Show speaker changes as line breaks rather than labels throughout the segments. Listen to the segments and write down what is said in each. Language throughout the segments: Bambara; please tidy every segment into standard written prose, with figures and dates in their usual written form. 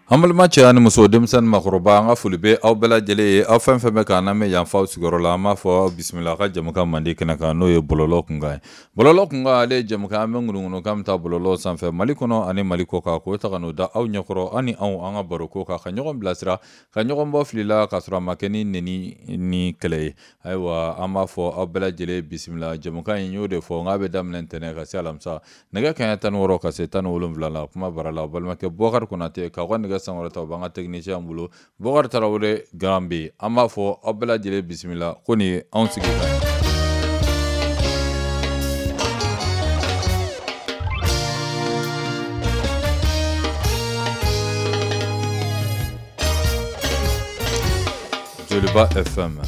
An balima cɛ ani muso, denmisɛnnin, makɔrɔba, an ka foli bɛ aw bɛɛ lajɛlen ye. Aw fɛn fɛn bɛ k'an lamɛn yan f'aw sigiyɔrɔ la, an b'a fɔ aw bisimila a ka jɛmukan mandi kɛnɛ kan, n'o ye bɔlɔlɔ kunkan ye. Bɔlɔlɔ kunkan, ale ye jɛmukan an bɛ ŋunuŋunu k'an bɛ taa bɔlɔlɔ sanfɛ, Mali kɔnɔ ani Mali kɔ kan, k'o ta ka n'o da aw ɲɛkɔrɔ, an ni anw an ka baroko kan, ka ɲɔgɔn bilasira, ka ɲɔgɔn bɔ fili la, k'a sɔrɔ a ma kɛ ni neni ni kɛlɛ ye. Ayiwa, an b'a fɔ aw bɛɛ lajɛlen bisimila. Jɛmukan in, y'o de fɔ n k'a bɛ daminɛ ntɛnɛn ka se alamisa, nɛgɛ kanɲɛ 16 ka se 17 la. Kuma bara la, balimakɛ Bɔkari Konate k'aw ka nɛgɛ sankɔrɔta, o b'an ka technicien bolo, Bɔkari Tarawele Garan bɛ. An b'a fɔ aw bɛɛ lajɛlen bisimila ko nin ye anw sigi kan ye. Joliba FM.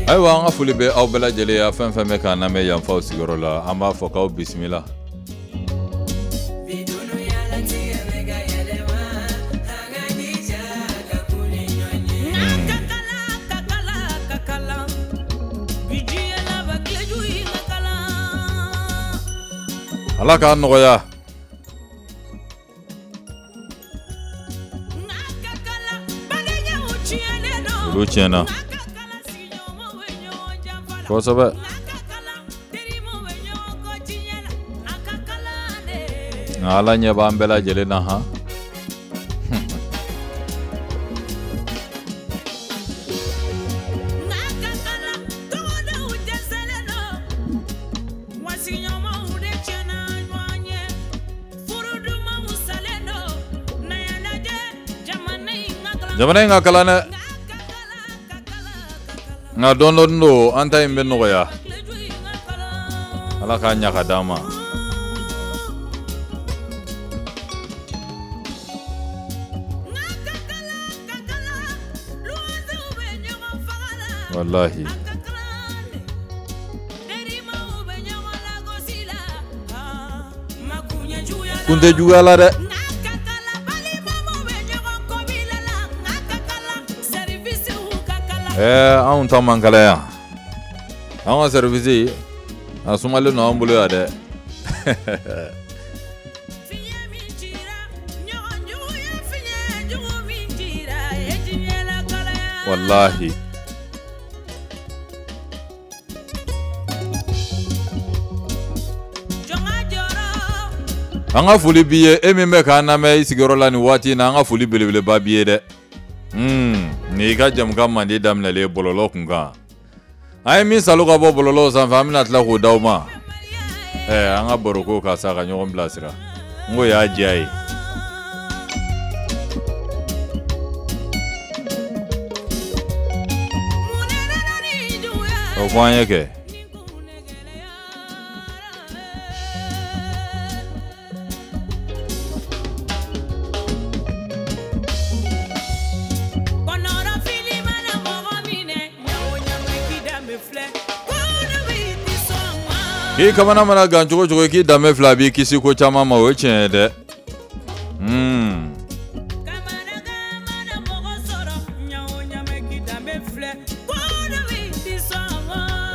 Ayiwa, an ka foli bɛ aw bɛɛ lajɛlen ya, fɛn fɛn bɛ k'an lamɛn yan f'aw sigiyɔrɔ la, an b'a fɔ k'aw bisimila. Ala k'a nɔgɔya. Olu tiɲɛna kosɛbɛ. Nka Ala ɲɛ b'an bɛɛ lajɛlen na han. Jamana in ka kalan dɛ, nka dɔɔni dɔɔni don, an ta in bɛ nɔgɔya. Ala k'a ɲa ka d'an ma. Walahi, kun tɛ juguya la dɛ. Ɛɛ, anw ta man kalan yan, an ka service a sumalen don an bolo yan dɛ. Walahi, an ka foli b'i ye, e min bɛ k'an lamɛn i sigiyɔrɔ la nin waati in na, an ka foli belebeleba b'i ye dɛ. Nin y'i ka jɛmukan mandi daminɛlen ye, bɔlɔlɔ kun kan. An ye min salo ka bɔ bɔlɔlɔ sanfɛ, an bɛna tila k'o d'aw ma. Ɛɛ, an ka baroko ka sa ka ɲɔgɔn bilasira, n ko y'a diya ye. O fɔ an ye kɛ. K'i kamana mana gan cogo cogo, k'i danbe filɛ, a b'i kisi ko caman ma. O ye tiɲɛ ye dɛ.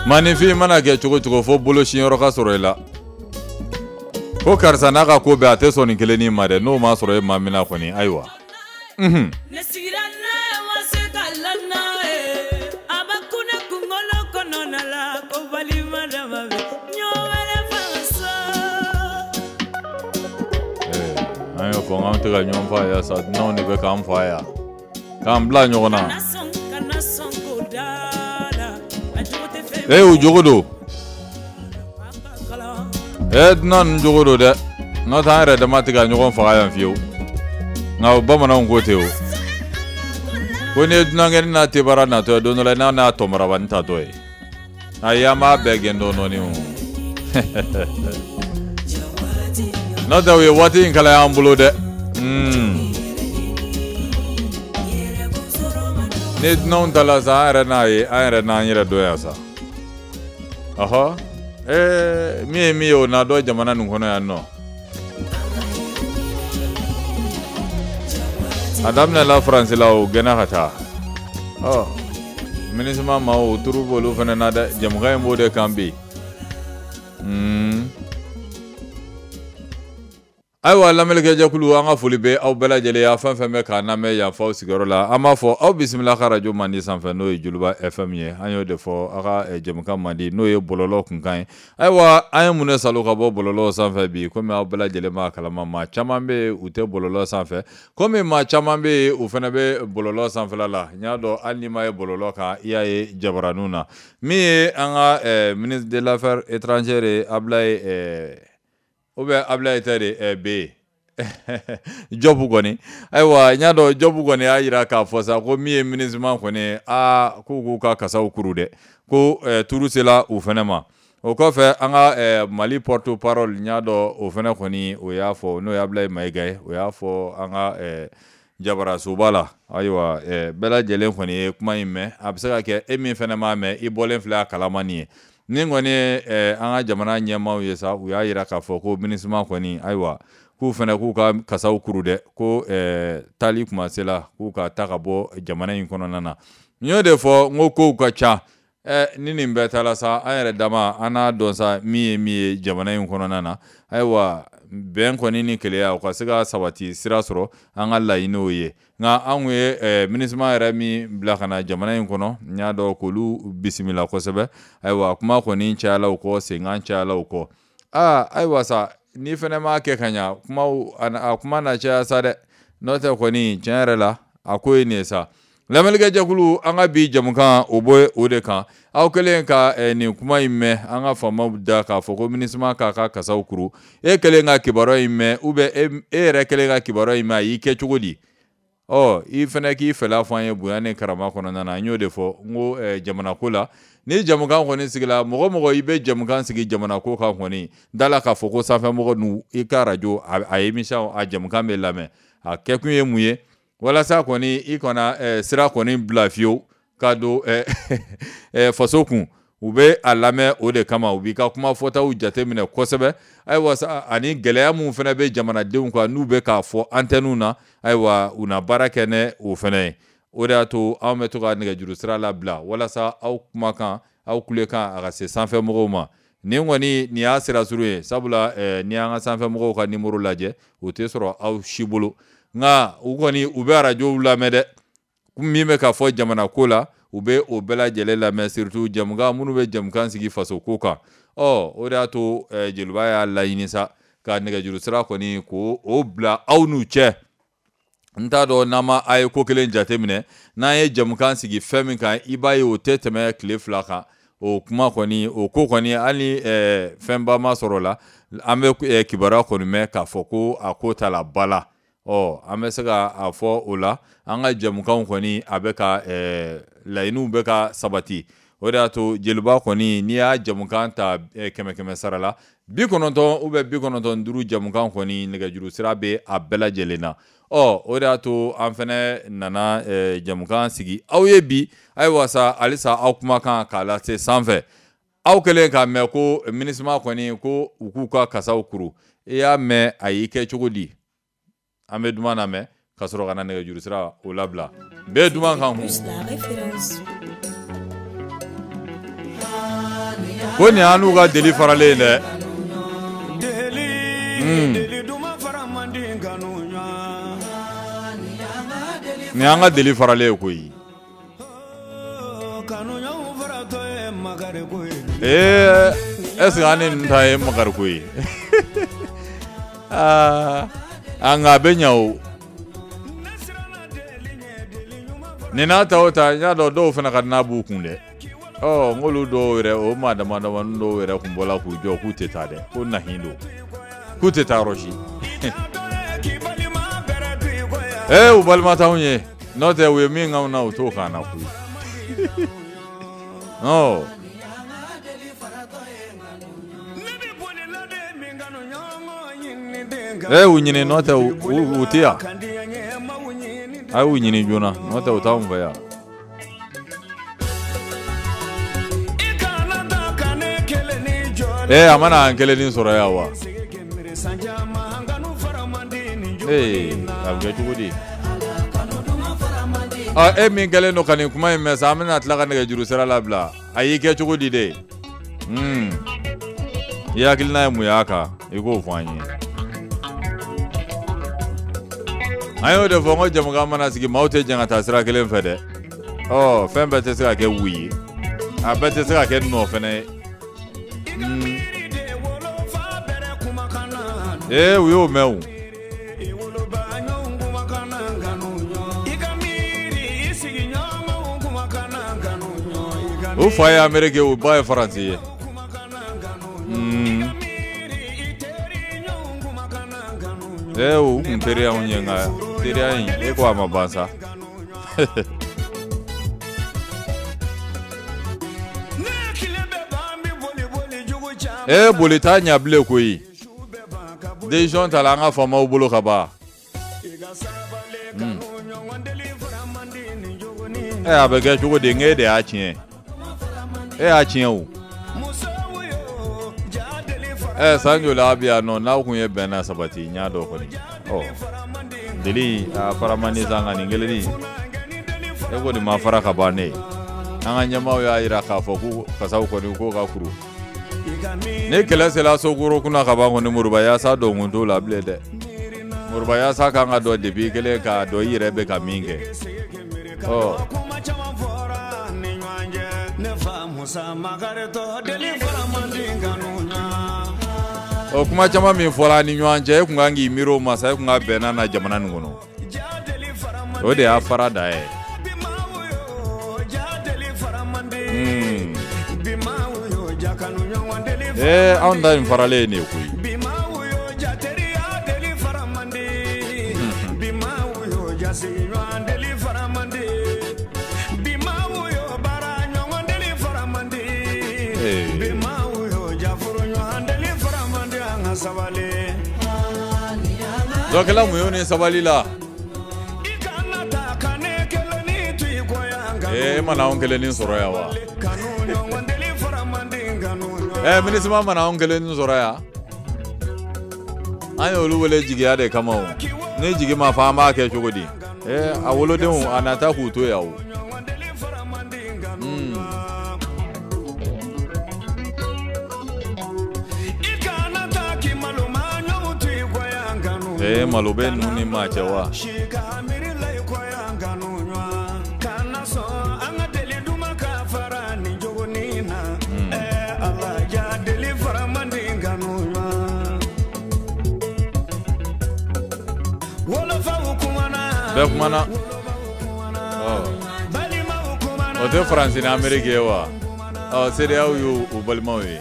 Maaninfin mana kɛ cogo cogo, fo bolo siyɔrɔ ka sɔrɔ i la, ko karisa n'a ka ko bɛɛ, a tɛ sɔn nin kelennin ma dɛ. N'o ma sɔrɔ e maa min na kɔni, ayiwa.
Ne sigira ma se ka la a bɛ kun kunkolo kɔnɔna la, ko balima dama ɲɔ wɛrɛ fa.
An y'o fɔ, k'an tɛ ka ɲɔgɔn fa yan sa, dunanw de bɛ k'an fa yan, k'an bila ɲɔgɔn na.
Kana sɔn, kana sɔn ko da la, a jogo tɛ fɛn.
Ee, u jogo don. Ee, dunan ninnu jogo don dɛ, n'o tɛ an yɛrɛ dama tɛ ka ɲɔgɔn faga yan fiyewu. Nka o bamananw ko ten o, ko n'i ye dunankɛni n'a tebara natɔ ye, don dɔ la n'a n'a tɔnbarabani tatɔ ye, ayi, an b'a bɛɛ gɛn dɔɔni dɔɔni o. N'o tɛ u ye waati in kalaya an bolo dɛ. Ni dunanw ta la sa, an yɛrɛ n'a ye, an yɛrɛ n'an yɛrɛ dɔn yan sa. Ɔhɔ, ee, min ye min ye, o na dɔn jamana nin kɔnɔ yan nɔ. A daminɛla Faransi la, o gɛnna ka taa. Ɔ, MINUSMA maaw turu b'olu fana na dɛ, jɛmukan in b'o de kan bi. Ayiwa lamɛnnikɛjɛkulu, an ka foli bɛ aw bɛɛ lajɛlen ye, fɛn fɛn bɛ k'an lamɛn yan f'aw sigiyɔrɔ la. An b'a fɔ aw bisimila ka radio mandi sanfɛ, n'o ye Joliba FM ye. An y'o de fɔ aw ka jɛmukan mandi, n'o ye bɔlɔlɔ kunkan ye. Ayiwa an ye mun de salo ka bɔ bɔlɔlɔ sanfɛ bi? Komi aw bɛɛ lajɛlen b'a kalama, maa caman bɛ yen u tɛ bɔlɔlɔ sanfɛ, komi maa caman bɛ yen u fana bɛ bɔlɔlɔ sanfɛla la. N y'a dɔn hali n'i ma ye bɔlɔlɔ kan, i y'a ye jabaraninw na. Min ye an ka ministre de l'affaires étrangères ye, Ablaye ou bien Ablaye tɛ de bɛ yen Jɔbu kɔni. Ayiwa n y'a dɔn Jɔbu kɔni y'a jira k'a fɔ sa ko min ye MINUSMA kɔni, aa k'u k'u ka kasaw kuru dɛ, ko turu sela u fana ma. O kɔfɛ an ka Mali porte parole, n y'a dɔn o fana kɔni o y'a fɔ, n'o ye Ablaye Mayiga ye, o y'a fɔ an ka jabarasoba la. Ayiwa bɛɛ lajɛlen kɔni ye kuma in mɛn. A bɛ se ka kɛ e min fana m'a mɛn, i bɔlen filɛ a kalama nin ye. Nin kɔni ye an ka jamana ɲɛmaaw ye sa, u y'a jira k'a fɔ ko MINUSMA kɔni, ayiwa k'u fana k'u ka kasaw kuru dɛ, ko taali kuma sela k'u ka taa ka bɔ jamana in kɔnɔna na. N y'o de fɔ, n ko kow ka ca. Ni nin bɛɛ taara sa, an yɛrɛ dama an n'a dɔn sa min ye jamana in kɔnɔna na. Ayiwa bɛn kɔni ni keleya u ka se ka sabati sira sɔrɔ, an ka laɲiniw ye. Nka an kun ye MINUSMA yɛrɛ min bila ka na jamana in kɔnɔ, n y'a dɔn k'olu bisimila kosɛbɛ. Ayiwa kuma kɔni cayala u kɔ, senkan cayala u kɔ. Aa ayiwa sa, n'i fana m'a kɛ ka ɲa, kumaw a kuma na caya sa dɛ. N'o tɛ kɔni tiɲɛ yɛrɛ la a ko ye nin ye sa. Lamɛnnikɛjɛkulu, an ka bi jɛmukan o bɛ o de kan. Aw kɛlen ka nin kuma in mɛn an ka faamaw da k'a fɔ ko MINUSMA k'a ka kasaw kuru, e kɛlen ka kibaruya in mɛn, ou bien e yɛrɛ kɛlen ka kibaruya in mɛn, a y'i kɛ cogo di? Ɔ i fana k'i fɛla fɔ an ye bonya ni karama kɔnɔna na. N y'o de fɔ, n ko jamana ko la, ni jɛmukan kɔni sigila, mɔgɔ mɔgɔ i bɛ jɛmukan sigi jamana ko kan kɔni, da la k'a fɔ ko sanfɛmɔgɔ ninnu i ka radio a émission a jɛmukan bɛ lamɛn. A kɛkun ye mun ye? Walasa kɔni i kana sira kɔni bila fiyewu ka don faso kun. U bɛ a lamɛn o de kama, u b'i ka kuma fɔtaw jateminɛ kosɛbɛ. Ayiwa sa, ani gɛlɛya mun fana bɛ jamanadenw kan n'u bɛ k'a fɔ antenne na, ayiwa u na baara kɛ ne o fana ye. O de y'a to anw bɛ to ka nɛgɛjuru sira labila walasa aw kumakan, aw kulekan a ka se sanfɛmɔgɔw ma. Nin kɔni nin y'a sira surun ye, sabula n'i y'an ka sanfɛmɔgɔw ka nimoro lajɛ, o tɛ sɔrɔ aw si bolo. Nka u kɔni u bɛ arajow lamɛn dɛ, min bɛ ka fɔ jamana ko la, u bɛ o bɛɛ lajɛlen lamɛn, surtout jɛmukan minnu bɛ jɛmukan sigi faso ko kan. Ɔ o de y'a to Joliba y'a laɲini sa ka nɛgɛjuru sira kɔni k'o o bila aw n'u cɛ. N t'a dɔn n'an ma a ye ko kelen jateminɛ, n'an ye jɛmukan sigi fɛn min kan, i b'a ye o tɛ tɛmɛ tile 2 kan. O kuma kɔni, o ko kɔni, hali ni fɛnba ma sɔrɔ la, an bɛ kibaruya kɔni mɛn k'a fɔ ko a ko ta la ba la. Ɔ an bɛ se ka a fɔ o la, an ka jɛmukanw kɔni a bɛ ka laɲiniw bɛ ka sabati. O de y'a to Joliba kɔni n'i y'a jɛmukan ta 100 sara la, 90 ou bien 95 jɛmukan kɔni nɛgɛjuru sira bɛ a bɛɛ lajɛlen na. Ɔ o de y'a to an fana nana jɛmukan sigi aw ye bi. Ayiwa sa, halisa aw kumakan k'a lase sanfɛ. Aw kɛlen k'a mɛn ko MINUSMA kɔni ko u k'u ka kasaw kuru, i y'a mɛn a y'i kɛ cogo di? An bɛ duman lamɛn ka sɔrɔ ka na nɛgɛjuru sira o labila. Bɛɛ duman kan kun. Ko nin y'an n'u ka deli faralen ye dɛ. Nin y'an ka deli faralen ye koyi. Est ce que an ni ninnu ta ye makariko ye? Aa nka a bɛ ɲa o. Nin n'a ta o ta, n y'a dɔn dɔw fana ka n'a b'u kun dɛ. Ɔ n k'olu dɔw yɛrɛ, o maa dama damani dɔw yɛrɛ kun bɔla k'u jɔ k'u tɛ taa dɛ, ko nahin don, k'u tɛ taa yɔrɔ si. U balima t'anw ye, n'o tɛ u ye min k'anw na u t'o k'an na koyi. Ɔ u ɲini, n'o tɛ u tɛ yan. A y'u ɲini joona, n'o tɛ u t'anw fɛ yan. A mana an kelennin sɔrɔ yan wa? A bɛ kɛ cogo di? Ɔ e min kɛlen don ka nin kuma in mɛn sa, an bɛna tila ka nɛgɛjuru sira labila. A y'i kɛ cogo di de? I hakilina ye mun y'a kan, i k'o fɔ an ye. An y'o de fɔ n ko jamukan mana sigi, maaw tɛ jɛn ka taa sira kelen fɛ dɛ. Ɔ fɛn bɛɛ tɛ se ka kɛ wu ye, a bɛɛ tɛ se ka kɛ nɔ fɛnɛ ye. Ee u y'o mɛn o. U fa ye Ameriki ye, u ba ye Faransi ye. Ee u kun teriya anw ye, nka teriya in e ko a ma ban sa. Ee boli t'a ɲa bilen koyi. Décision tala an ka faamaw bolo ka ban. A bɛ kɛ cogo di? N k'e de y'a tiɲɛ. E y'a tiɲɛ o. San joli a bɛ yan nɔ, n'aw kun ye bɛn na sabati n y'a dɔn kɔni. Ɔ deli a fara man di sa, nka nin kelennin e ko nin ma fara ka ban ne ye. An ka ɲɛmaaw y'a jira k'a fɔ ko kasaw kɔni k'o ka kuru. Ni kɛlɛ sera sokoro kunna ka ban kɔni, Moriba yaasa dɔnkun t'o la bilen dɛ. Moriba yaasa kan ka dɔn depuis kelen k'a dɔn i yɛrɛ bɛ ka min kɛ. Ɔ o kuma caman min fɔra ni ɲɔgɔn cɛ, e kun kan k'i miiri o ma sa, e kun ka bɛnna na jamana nin kɔnɔ. O de y'a fara da ye. Anw ta in faralen ye nin ye koyi. Dɔkɛla muɲu ni sabali la. E mana anw kelennin sɔrɔ yan wa? MINUSMA mana anw kelennin sɔrɔ yan. An y'olu wele jigiya de kama o. Ni jigi ma fa, an b'a kɛ cogo di? A wolodenw a na taa k'u to yan o. Malo bɛ ninnu ni maa cɛ wa? Bɛɛ kumana. O tɛ Faransi ni Ameriki ye wa? Ɔ CEDEAO y'u balimaw ye.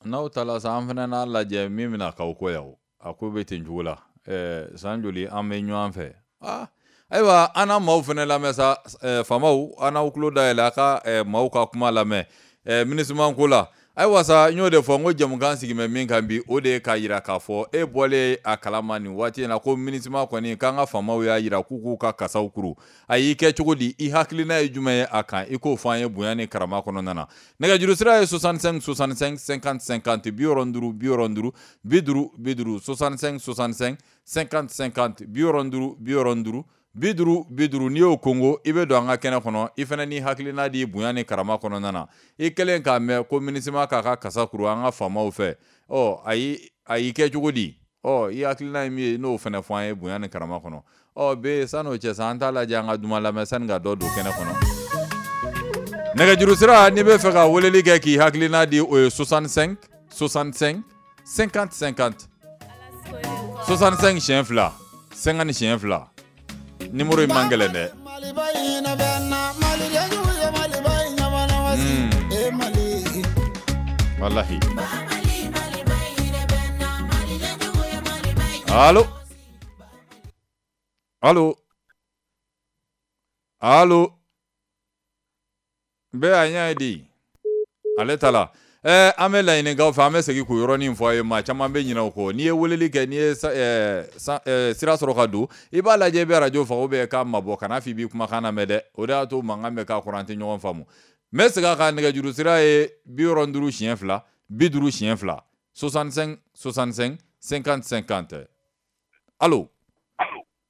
N'aw taara sa, an fana n'a lajɛ min bɛna k'aw kɔ yan o. A ko bɛ ten cogo la. San joli an bɛ ɲɔgɔn fɛ. Ayiwa an n'a maaw fana lamɛn sa, faamaw an n'aw tulo dayɛlɛ a ka maaw ka kuma lamɛn MINUSMA ko la. Ayiwa sa, n y'o de fɔ n ko jamukan sigi bɛ min kan bi, o de ye k'a jira k'a fɔ e bɔlen a kalama nin waati in na ko MINUSMA kɔni k'an ka faamaw y'a jira k'u k'u ka kasaw kuru. A y'i kɛ cogo di? I hakilina ye jumɛn ye a kan? I k'o fɔ an ye bonya ni karama kɔnɔna na. Nɛgɛjuru sira ye 65 65 50 50, 65 65 50 50, 65 65 50 50, 65 65 50 50. N'i y'o kongo, i bɛ don an ka kɛnɛ kɔnɔ, i fana n'i hakilina di bonya ni karama kɔnɔna na. I kɛlen k'a mɛn ko MINUSMA k'a ka kasa kuru an ka faamaw fɛ, ɔ a y'i kɛ cogo di? Ɔ i hakilina ye min ye, n'o fana fɔ an ye bonya ni karama kɔnɔ. Ɔ be san'o cɛ sa, an t'a lajɛ an ka duman lamɛn sani ka dɔ don kɛnɛ kɔnɔ. Nɛgɛjuru sira, n'i bɛ fɛ ka weleli kɛ k'i hakilina di, o ye 65 65 50 50, 65 siɲɛ fila, 50 siɲɛ fila. Numéro in man gɛlɛn dɛ. Walahi. Allo. Allo. Allo. Bɛɛ a ɲɛ ye di? Ale ta la. An bɛ laɲinikaw fɛ, an bɛ segin k'o yɔrɔnin fɔ a ye. Maa caman bɛ ɲinɛ o kɔ. N'i ye weleli kɛ, n'i ye sira sɔrɔ ka don, i b'a lajɛ i bɛ arajo faga ou bien k'a mabɔ, kana fɔ i b'i kumakan lamɛn dɛ. O de y'a to mankan bɛ k'a kɔrɔ, an tɛ ɲɔgɔn faamu. N bɛ segin a kan, nɛgɛjuru sira ye 52 2 50 2, 65 65 50 50. Allo?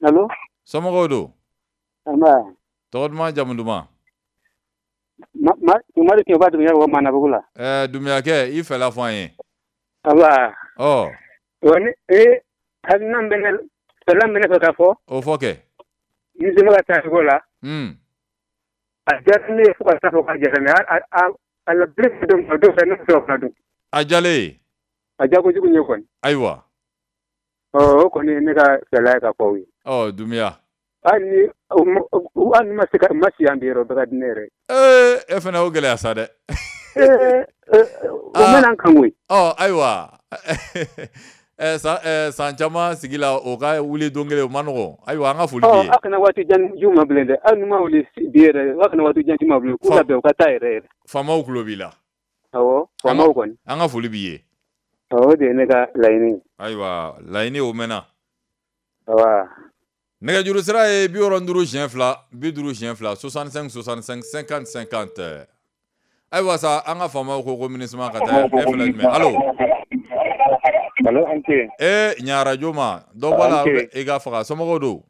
Allo?
Somɔgɔw don?
Nba.
Tɔgɔ duman, jamu duman?
Mamadu Kɛba Dunbiya ka bɔ Manabugu la.
Dunbiyakɛ, i fɛla fɔ an ye.
Aba.
Ɔ.
Wa ni hakilina min bɛ ne fɛla min bɛ ne fɛ ka fɔ.
O fɔ kɛ.
Ni sema ka taa cogo la. A diyara ne ye fo ka taa fɔ k'a diyara ne a la bere don dɔw fɛ ne bɛ se ka fana dun.
A diyalen.
A diya kojugu ye kɔni.
Ayiwa.
Ɔ, o kɔni ye ne ka fɛla ye ka fɔ aw ye.
Ɔ, Dunbiya.
Hali ni ma se ka ma si yan bi yɛrɛ, o bɛɛ ka di ne yɛrɛ ye.
Ee, e fana o gɛlɛya sa dɛ.
O mɛna n kan koyi.
Ɔ, ayiwa, san caman sigi la, o ka wuli don kelen, o ma nɔgɔn. Ayiwa, an ka foli b'i ye.
Aw kana waati jan d'u ma bilen dɛ. Hali ni ma wuli bi yɛrɛ, aw kana waati jan d'u ma bilen, k'u labɛn u ka taa yɛrɛ yɛrɛ.
Faamaw tulo b'i la.
Awɔ, faamaw kɔni.
An ka foli b'i ye.
Awɔ, o de ye ne ka laɲini ye.
Ayiwa, laɲini o mɛnna.
Awa.
Nɛgɛjuru sira ye 52 2 50 2, 65 65 50 50. Ayiwa sa, an ka faamaw ko ko MINUSMA ka taa. E fɛla jumɛn? Allo?
Allo, an ce.
Ee, ɲa arajo ma dɔ bɔ la i ka faga. Somɔgɔw don?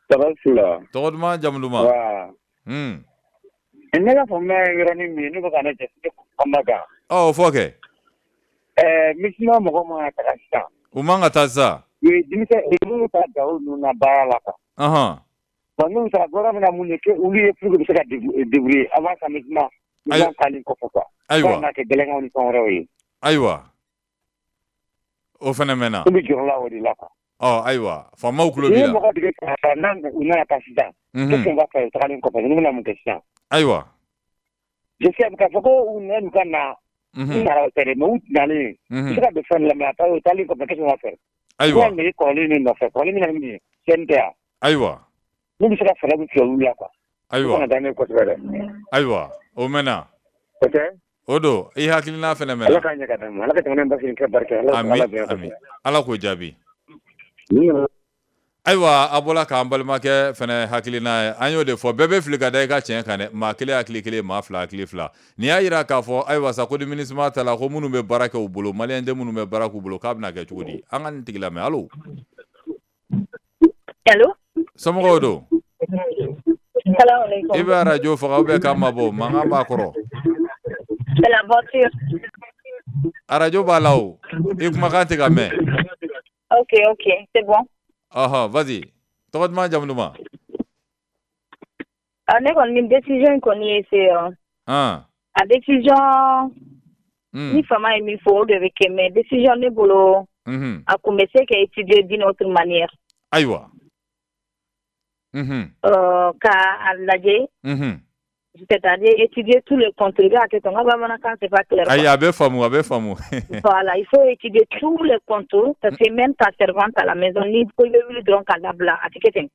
Tɔgɔ su la.
Tɔgɔ duman, jamu duman?
Wa. Ne ka faamuya ye yɔrɔnin min ye, ne bɛ ka ne jate kuma kan.
Ɔ, o fɔ kɛ.
MINUSMA mɔgɔ man ka taga sisan.
U man ka taa sisan.
U ye denmisɛn minnu ta Gawo ninnu na baara la quoi. Bon, n'u taara, gouvernement bɛna mun de kɛ olu ye pour que u bɛ se ka débrouiller avant ka MINUSMA taalen kɔfɛ quoi.
Ayiwa.
Fo ka n'a kɛ gɛlɛnkanw ni fɛn wɛrɛw ye.
Ayiwa, o fana mɛnna.
U bɛ jɔrɔ la o de la quoi.
Ɔ, ayiwa, faamaw tulo
N'i
b'i
ye
la.
mɔgɔ dege ka n'a u nana taa sisan. Qu'est-ce qu'on va faire tagalen kɔfɛ? Ninnu bɛna mun kɛ sisan?
Ayiwa.
J'espère k'a fɔ ko u nana ka na. U nana o tɛ dɛ, mais u nalen. U bɛ se ka don fɛn la, mais a o taalen kɔfɛ, qu'est-ce qu'on va faire?
Ayiwa.
U bɛna kɔrɔlen de nɔfɛ, kɔrɔlen bɛna ni mun ye? CNT wa?
Ayiwa.
N'u bɛ se ka fɛɛrɛ min tigɛ olu la quoi.
Ayiwa.
O kana taa ne kosɛbɛ dɛ.
Ayiwa, o mɛnna.
O tɛ?
O don, i hakilina fana mɛnna.
Ala k'a ɲɛ ka d'an ma, Ala ka jamana in basigi kɛ barika ye.
Ami, ami, Ala k'o jaabi. Ayiwa, a bɔra k'an balimakɛ fana hakilina ye, an y'o de fɔ, bɛɛ bɛ fili ka da i ka tiɲɛ kan dɛ. Maa kelen hakili kelen, maa fila hakili fila. Nin y'a jira k'a fɔ, ayiwa sa, ko ni MINUSMA ta la, ko minnu bɛ baara kɛ u bolo, maliyɛn den minnu bɛ baara k'u bolo, k'a bɛna kɛ cogo di? An ka nin tigi lamɛn. Allo?
Allo?
Somɔgɔw don?
Salaamaaleykum.
I bɛ arajo faga ou bien k'a mabɔ, mankan b'a kɔrɔ.
C'est la voiture.
Arajo b'a la o, i kumakan tɛ ka mɛn.
Ok, c'est bon.
Ɔhɔn, vas-y. Tɔgɔ duman, jamu duman?
Ah, ne kɔni ni décision in kɔni ye c'est a décision ni fama ye min fɔ, o de bɛ kɛ, mais décision ne bolo, a kun bɛ se ka étudier d'une autre manière.
Ayiwa.
Ka a lajɛ, c'est-à-dire étudier tous les contours. I b'a kɛ ten, n ka bamanankan c'est pas clair.
Ayi, a bɛ faamu, a bɛ faamu.
Voilà, il faut étudier tous les contours parce que même ta servante à la maison, ni ko i bɛ wuli dɔrɔn k'a labila, a tɛ kɛ ten.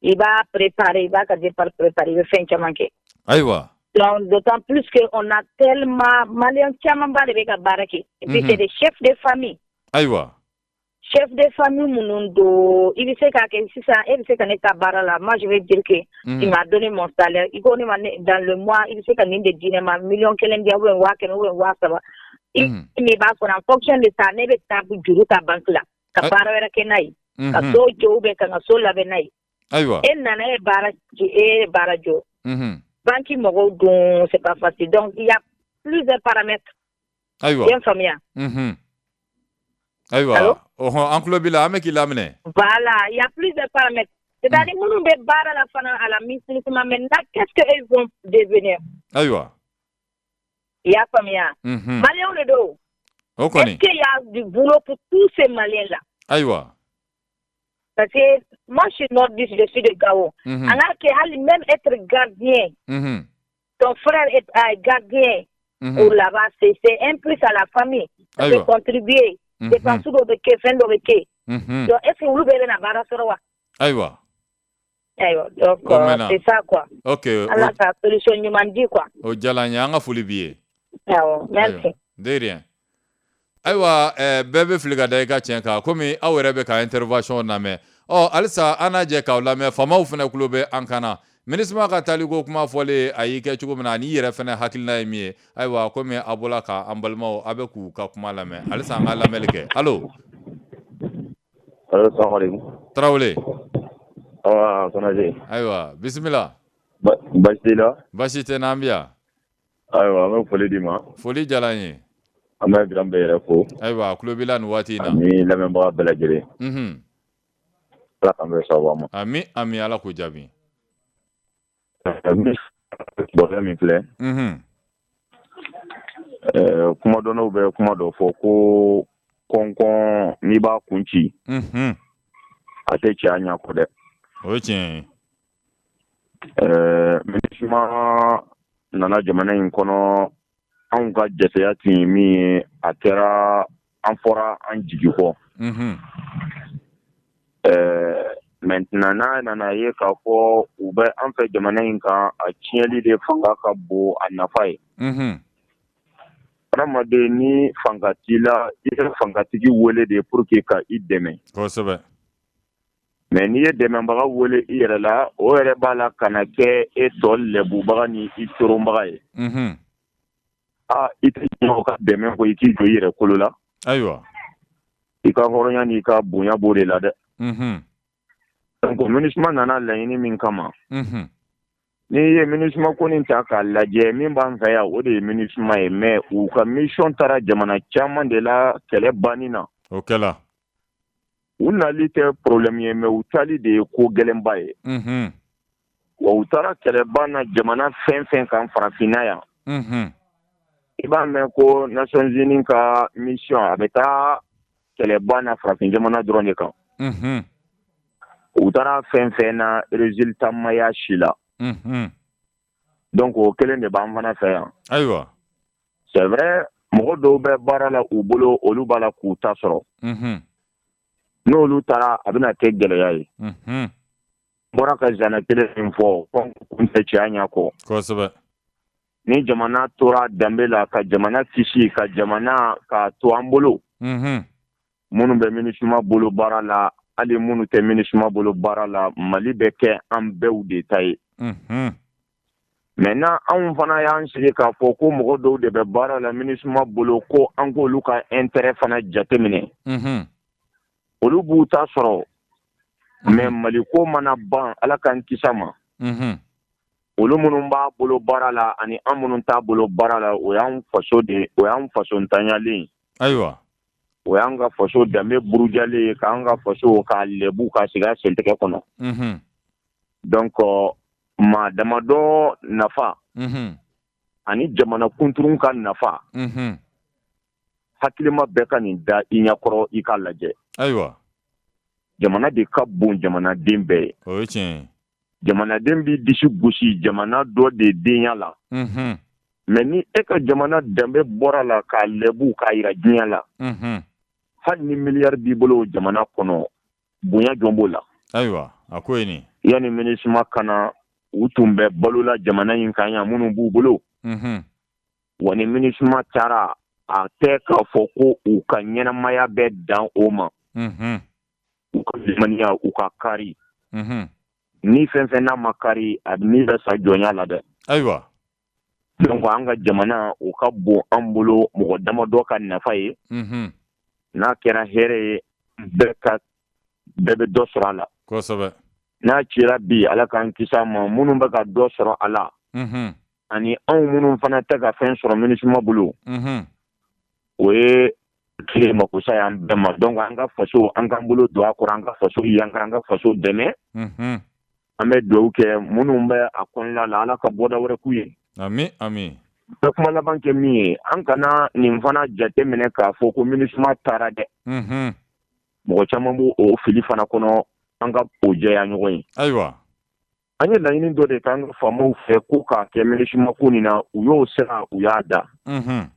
I b'a préparer, i b'a ka départ préparer, i bɛ fɛn caman kɛ.
Ayiwa.
Donc, d'autant plus qu'on a tellement Malien camanba de bɛ ka baara kɛ. Et puis c'est des chefs de famille.
Ayiwa.
Chef de famille minnu don, i bɛ se k'a kɛ sisan, e bɛ se ka ne ta baara la, moi je vais dire que tu m'as donné mon salaire, i ko ne ma dans le mois i bɛ se ka nin de di ne ma, 1 million di ou bien 100 000 ou bien 30 000. I min b'a kɔnɔ, en fonction de ça, ne bɛ taa juru ta banque la ka baara wɛrɛ kɛ n'a ye, ka so jɔ ou bien ka n ka so labɛn n'a ye.
Ayiwa.
E nana, e ye baara e ye baara jɔ. Banque mɔgɔw dun, c'est pas facile, donc il y a plusieurs paramètres.
Ayiwa.
I ye n faamuya?
Ayiwa. Ɔhɔn, an tulo b'i la, an bɛ k'i laminɛ.
Voilà, il y a plusieurs paramètres. C'est-à-dire minnu bɛ baara la fana à la MINUSMA maintenant, qu'est-ce qu'ils vont devenir?
Ayiwa.
I y'a faamuya? Maliens de don.
O kɔni.
Est-ce qu'il y a du boulot pour tous ces Maliens-là?
Ayiwa.
Parce que moi, je suis nordiste, je suis de Gao. An k'a kɛ hali même être gardien, ton frère est gardien ou là-bas, c'est un plus à la famille. Ça peut contribuer. Dépense dɔw bɛ kɛ, fɛn dɔw bɛ kɛ. Donc est-ce que olu bɛɛ bɛna baara sɔrɔ wa?
Ayiwa.
Ayiwa donc c'est ça quoi.
Ok.
Ala ka solution ɲuman di quoi.
O diyara n ye, an ka foli b'i ye.
Awɔ, merci.
De rien. Ayiwa, bɛɛ bɛ fili ka da i ka tiɲɛ kan, komi aw yɛrɛ bɛ ka intervention lamɛn. Ɔ halisa an n'a jɛ k'aw lamɛn, faamaw fana tulo bɛ an kan na. MINUSMA ka taaliko kuma fɔlen, a y'i kɛ cogo min na, ani i yɛrɛ fana hakilina ye min ye. Ayiwa, komi a bɔla ka an balimaw, a bɛ k'u ka kuma lamɛn, halisa an ka lamɛnli kɛ. Allo.
Allo, salamu aleykum.
Tarawele.
Awa, Konate.
Ayiwa, bisimila.
Baasi t'i la?
Baasi tɛ n na, an bɛ yan.
Ayiwa, an bɛ foli d'i ma.
Foli diyara n ye.
An bɛ grand bɛɛ yɛrɛ fo.
Ayiwa, a tulo b'i la nin waati in na.
Ani lamɛnbaga bɛɛ lajɛlen.
Unhun.
Ala k'an bɛn sababa ma.
Ami ami, Ala k'o jaabi.
Bɔrɛ min filɛ.
Unhun.
Kumadɔnnaw bɛ kuma dɔ fɔ ko kɔnkɔn n'i b'a kun ci.
Unhun.
A tɛ cɛ a ɲɛ kɔ dɛ.
O ye tiɲɛ ye.
MINUSMA nana jamana in kɔnɔ, anw ka jɛsɛya tun ye min ye, a kɛra an fɔra an jigi kɔ.
Unhun.
Maintenant n'a nana ye k'a fɔ u bɛ an fɛ jamana in kan, a tiɲɛli de fanga ka bon a nafa ye.
Unhun.
Hadamaden ni fanga t'i la, i bɛ fangatigi wele de pour que ka i dɛmɛ.
Kosɛbɛ.
Mais n'i ye dɛmɛbaga wele i yɛrɛ la, o yɛrɛ b'a la ka na kɛ e tɔ lɛbubaga ni i coronbaga ye.
Unhun.
Aa, i tɛ ɲinɛ o ka dɛmɛ kɔ, i k'i jɔ i yɛrɛ kolo la.
Ayiwa.
I ka hɔrɔnya n'i ka bonya b'o de la dɛ.
Unhun.
Donc MINUSMA nana laɲini min kama.
Unhun.
N'i ye MINUSMA ko nin ta k'a lajɛ, min b'an fɛ yan, o de ye MINUSMA ye, mais u ka mission taara jamana caman de la kɛlɛ banni na.
O kɛla.
U nali tɛ problème ye, mais u taali de ye ko gɛlɛnba ye.
Unhun.
Wa u taara kɛlɛba na jamana fɛn fɛn kan farafinna yan.
Unhun.
I b'a mɛn ko Nations Unies ka mission, a bɛ taa kɛlɛba na farafin jamana dɔrɔn de kan.
Unhun.
U taara fɛn fɛn na, résultat ma y'a si la.
Unhun.
Donc o kelen de b'an fana fɛ yan.
Ayiwa.
C'est vrai, mɔgɔ dɔw bɛ baara la u bolo, olu b'a la k'u ta sɔrɔ.
Unhun.
N'olu taara, a bɛna kɛ gɛlɛya ye.
Unhun.
N bɔra ka zana kelen min fɔ, kun tɛ cɛya ɲɛ kɔ.
Kosɛbɛ.
Ni jamana tora danbe la, ka jamana kisi, ka jamana ka to an bolo.
Unhun.
Minnu bɛ MINUSMA bolo baara la, hali minnu tɛ MINUSMA bolo baara la, Mali bɛ kɛ an bɛɛ de ta ye.
Unhun.
Maintenant anw fana y'an sigi k'a fɔ ko mɔgɔ dɔw de bɛ baara la MINUSMA bolo, ko an k'olu ka intérêt fana jateminɛ.
Unhun.
Olu b'u ta sɔrɔ, mais Mali ko mana ban, Ala k'an kisi a ma.
Unhun.
Olu minnu b'a bolo baara la ani an minnu t'a bolo baara la, o y'an faso de, o y'an faso ntanyalen ye.
Ayiwa.
O y'an ka faso danbe burujalen ye, k'an ka faso k'a lɛbu k'a sigi a sentɛgɛ kɔnɔ.
Unhun.
Donc maa damadɔ nafa.
Unhun.
Ani jamana kunturun ka nafa.
Unhun.
Hakilima bɛɛ ka nin da i ɲɛkɔrɔ, i k'a lajɛ.
Ayiwa.
Jamana de ka bon jamanaden bɛɛ ye.
O ye tiɲɛ ye.
Jamanaden b'i disi gosi jamana dɔ de denya la.
Unhun.
Mais ni e ka jamana danbe bɔra la k'a lɛbu k'a yira diɲɛ la.
Unhun.
Hali ni miliyari b'i bolo jamana kɔnɔ, bonya jɔn b'o la.
Ayiwa, a ko ye nin.
Yanni MINUSMA ka na, u tun bɛ balola jamana in kan yan minnu b'u bolo.
Unhun.
Wa ni MINUSMA taara, a tɛ k'a fɔ ko u ka ɲɛnamaya bɛ dan o ma.
Unhun.
U ka limaniya, u ka kari.
Unhun.
Ni fɛn fɛn n'a ma kari, a ni bɛ sa jɔnya la dɛ.
Ayiwa.
Donc an ka jamana, o ka bon an bolo mɔgɔ damadɔ ka nafa ye.
Unhun.
N'a kɛra hɛrɛ ye, bɛɛ bɛ dɔ sɔrɔ a la.
Kosɛbɛ.
N'a cira bi, Ala k'an kisi a ma, minnu bɛ ka dɔ sɔrɔ a la.
Unhun.
Ani anw minnu fana tɛ ka fɛn sɔrɔ MINUSMA bolo.
Unhun.
O ye tile makosa y'an bɛɛ ma. Donc an ka faso, an k'an bolo don a kɔrɔ, an ka faso yankara, an ka faso dɛmɛ.
Unhun.
An bɛ dugawu kɛ minnu bɛ a kɔnɔna la, Ala ka bɔda wɛrɛ k'u ye.
Ami ami.
Bɛ kuma laban kɛ min ye, an kana nin fana jate minɛ k'a fɔ ko MINUSMA taara dɛ.
Unhun.
Mɔgɔ caman b'o o fili fana kɔnɔ, an ka o jɛya ɲɔgɔn ye.
Ayiwa.
An ye laɲini dɔ de k'an ka faamaw fɛ ko k'a kɛ MINUSMA ko nin na, u y'o sira, u y'a da.
Unhun.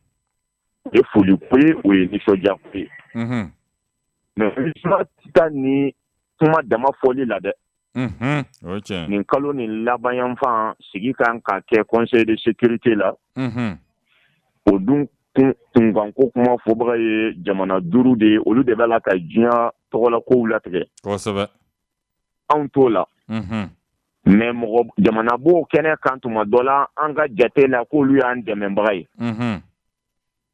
O ye foli ko ye, o ye nisɔndiya ko ye.
Unhun.
Mais MINUSMA tɛ taa ni kuma dama fɔli la dɛ.
O tiɲɛ.
Nin kalo nin labanyanfan sigi kan ka kɛ conseil de sécurité la. O dun kunkanko kuma fɔbaga ye jamana 5 de ye, olu de b'a la ka diɲɛ tɔgɔla kow latigɛ.
Kosɛbɛ.
Anw t'o la. Mais mɔgɔ jamana b'o kɛnɛ kan tuma dɔ la, an ka jate la k'olu y'an dɛmɛbaga ye.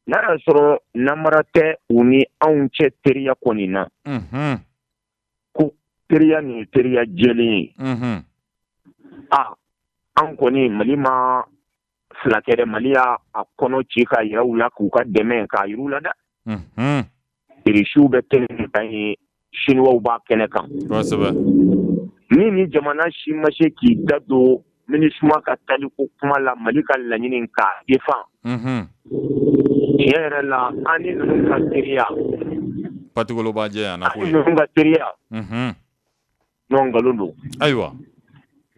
N'a y'a sɔrɔ namara tɛ u ni anw cɛ teriya kɔni na. Ko teriya nin ye teriya jɛlen ye. A an kɔni Mali ma fila kɛ dɛ, Mali y'a kɔnɔ ci k'a yira u la k'u ka dɛmɛ k'a yir'u la dɛ. Irisiw bɛ kɛnɛ kan ye, Siniwaw b'a kɛnɛ kan.
Kosɛbɛ.
Ni jamana si ma se k'i da don MINUSMA ka taliko kuma la, Mali ka laɲini k'a défend. Tiɲɛ yɛrɛ la, an ni ninnu ka teriya.
Patikolo b'a jɛ yan na ko ye.
An ni ninnu ka teriya. Non, nkalon don.
Ayiwa.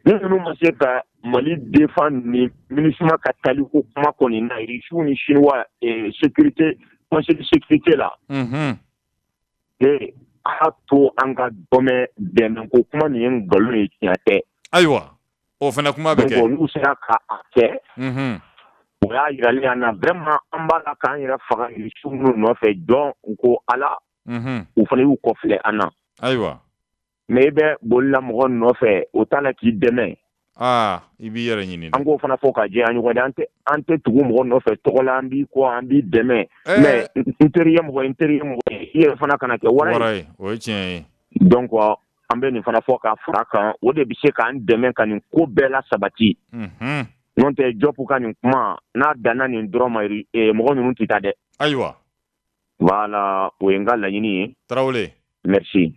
Ni ninnu ma se ka Mali défend ni MINUSMA ka taliko kuma kɔni na, Irisiw ni Siniwa sécurité conseil de sécurité la. A to an ka dɔmɛ dɛmɛ ko kuma nin ye nkalon ye, tiɲɛ tɛ.
Ayiwa, o fana kuma bɛ kɛ.
Donc n'u sera ka a kɛ. O y'a yirali an na vraiment an b'a la k'an yɛrɛ faga Irisiw minnu nɔfɛ, jɔn ko Ala. U fana y'u kɔfilɛ an na.
Ayiwa.
Mais i bɛ bolila mɔgɔ nɔfɛ, o t'a la k'i dɛmɛ.
Aa, i b'i yɛrɛ ɲini.
An k'o fana fɔ ka jɛ an ɲɔgɔn dɛ, an tɛ tugu mɔgɔ nɔfɛ tɔgɔ la, an b'i kɔ, an b'i dɛmɛ. Mais n teri ye mɔgɔ ye, n teri ye mɔgɔ ye, i yɛrɛ fana kana kɛ wara
ye. O ye tiɲɛ ye.
Donc an bɛ nin fana fɔ ka fara kan, o de bɛ se k'an dɛmɛ ka nin ko bɛɛ la sabati. N'o tɛ Diop ka nin kuma n'a danna nin dɔrɔn ma, mɔgɔ ninnu tɛ taa dɛ.
Ayiwa.
Voilà, o ye n ka laɲini ye.
Tarawele.
Merci.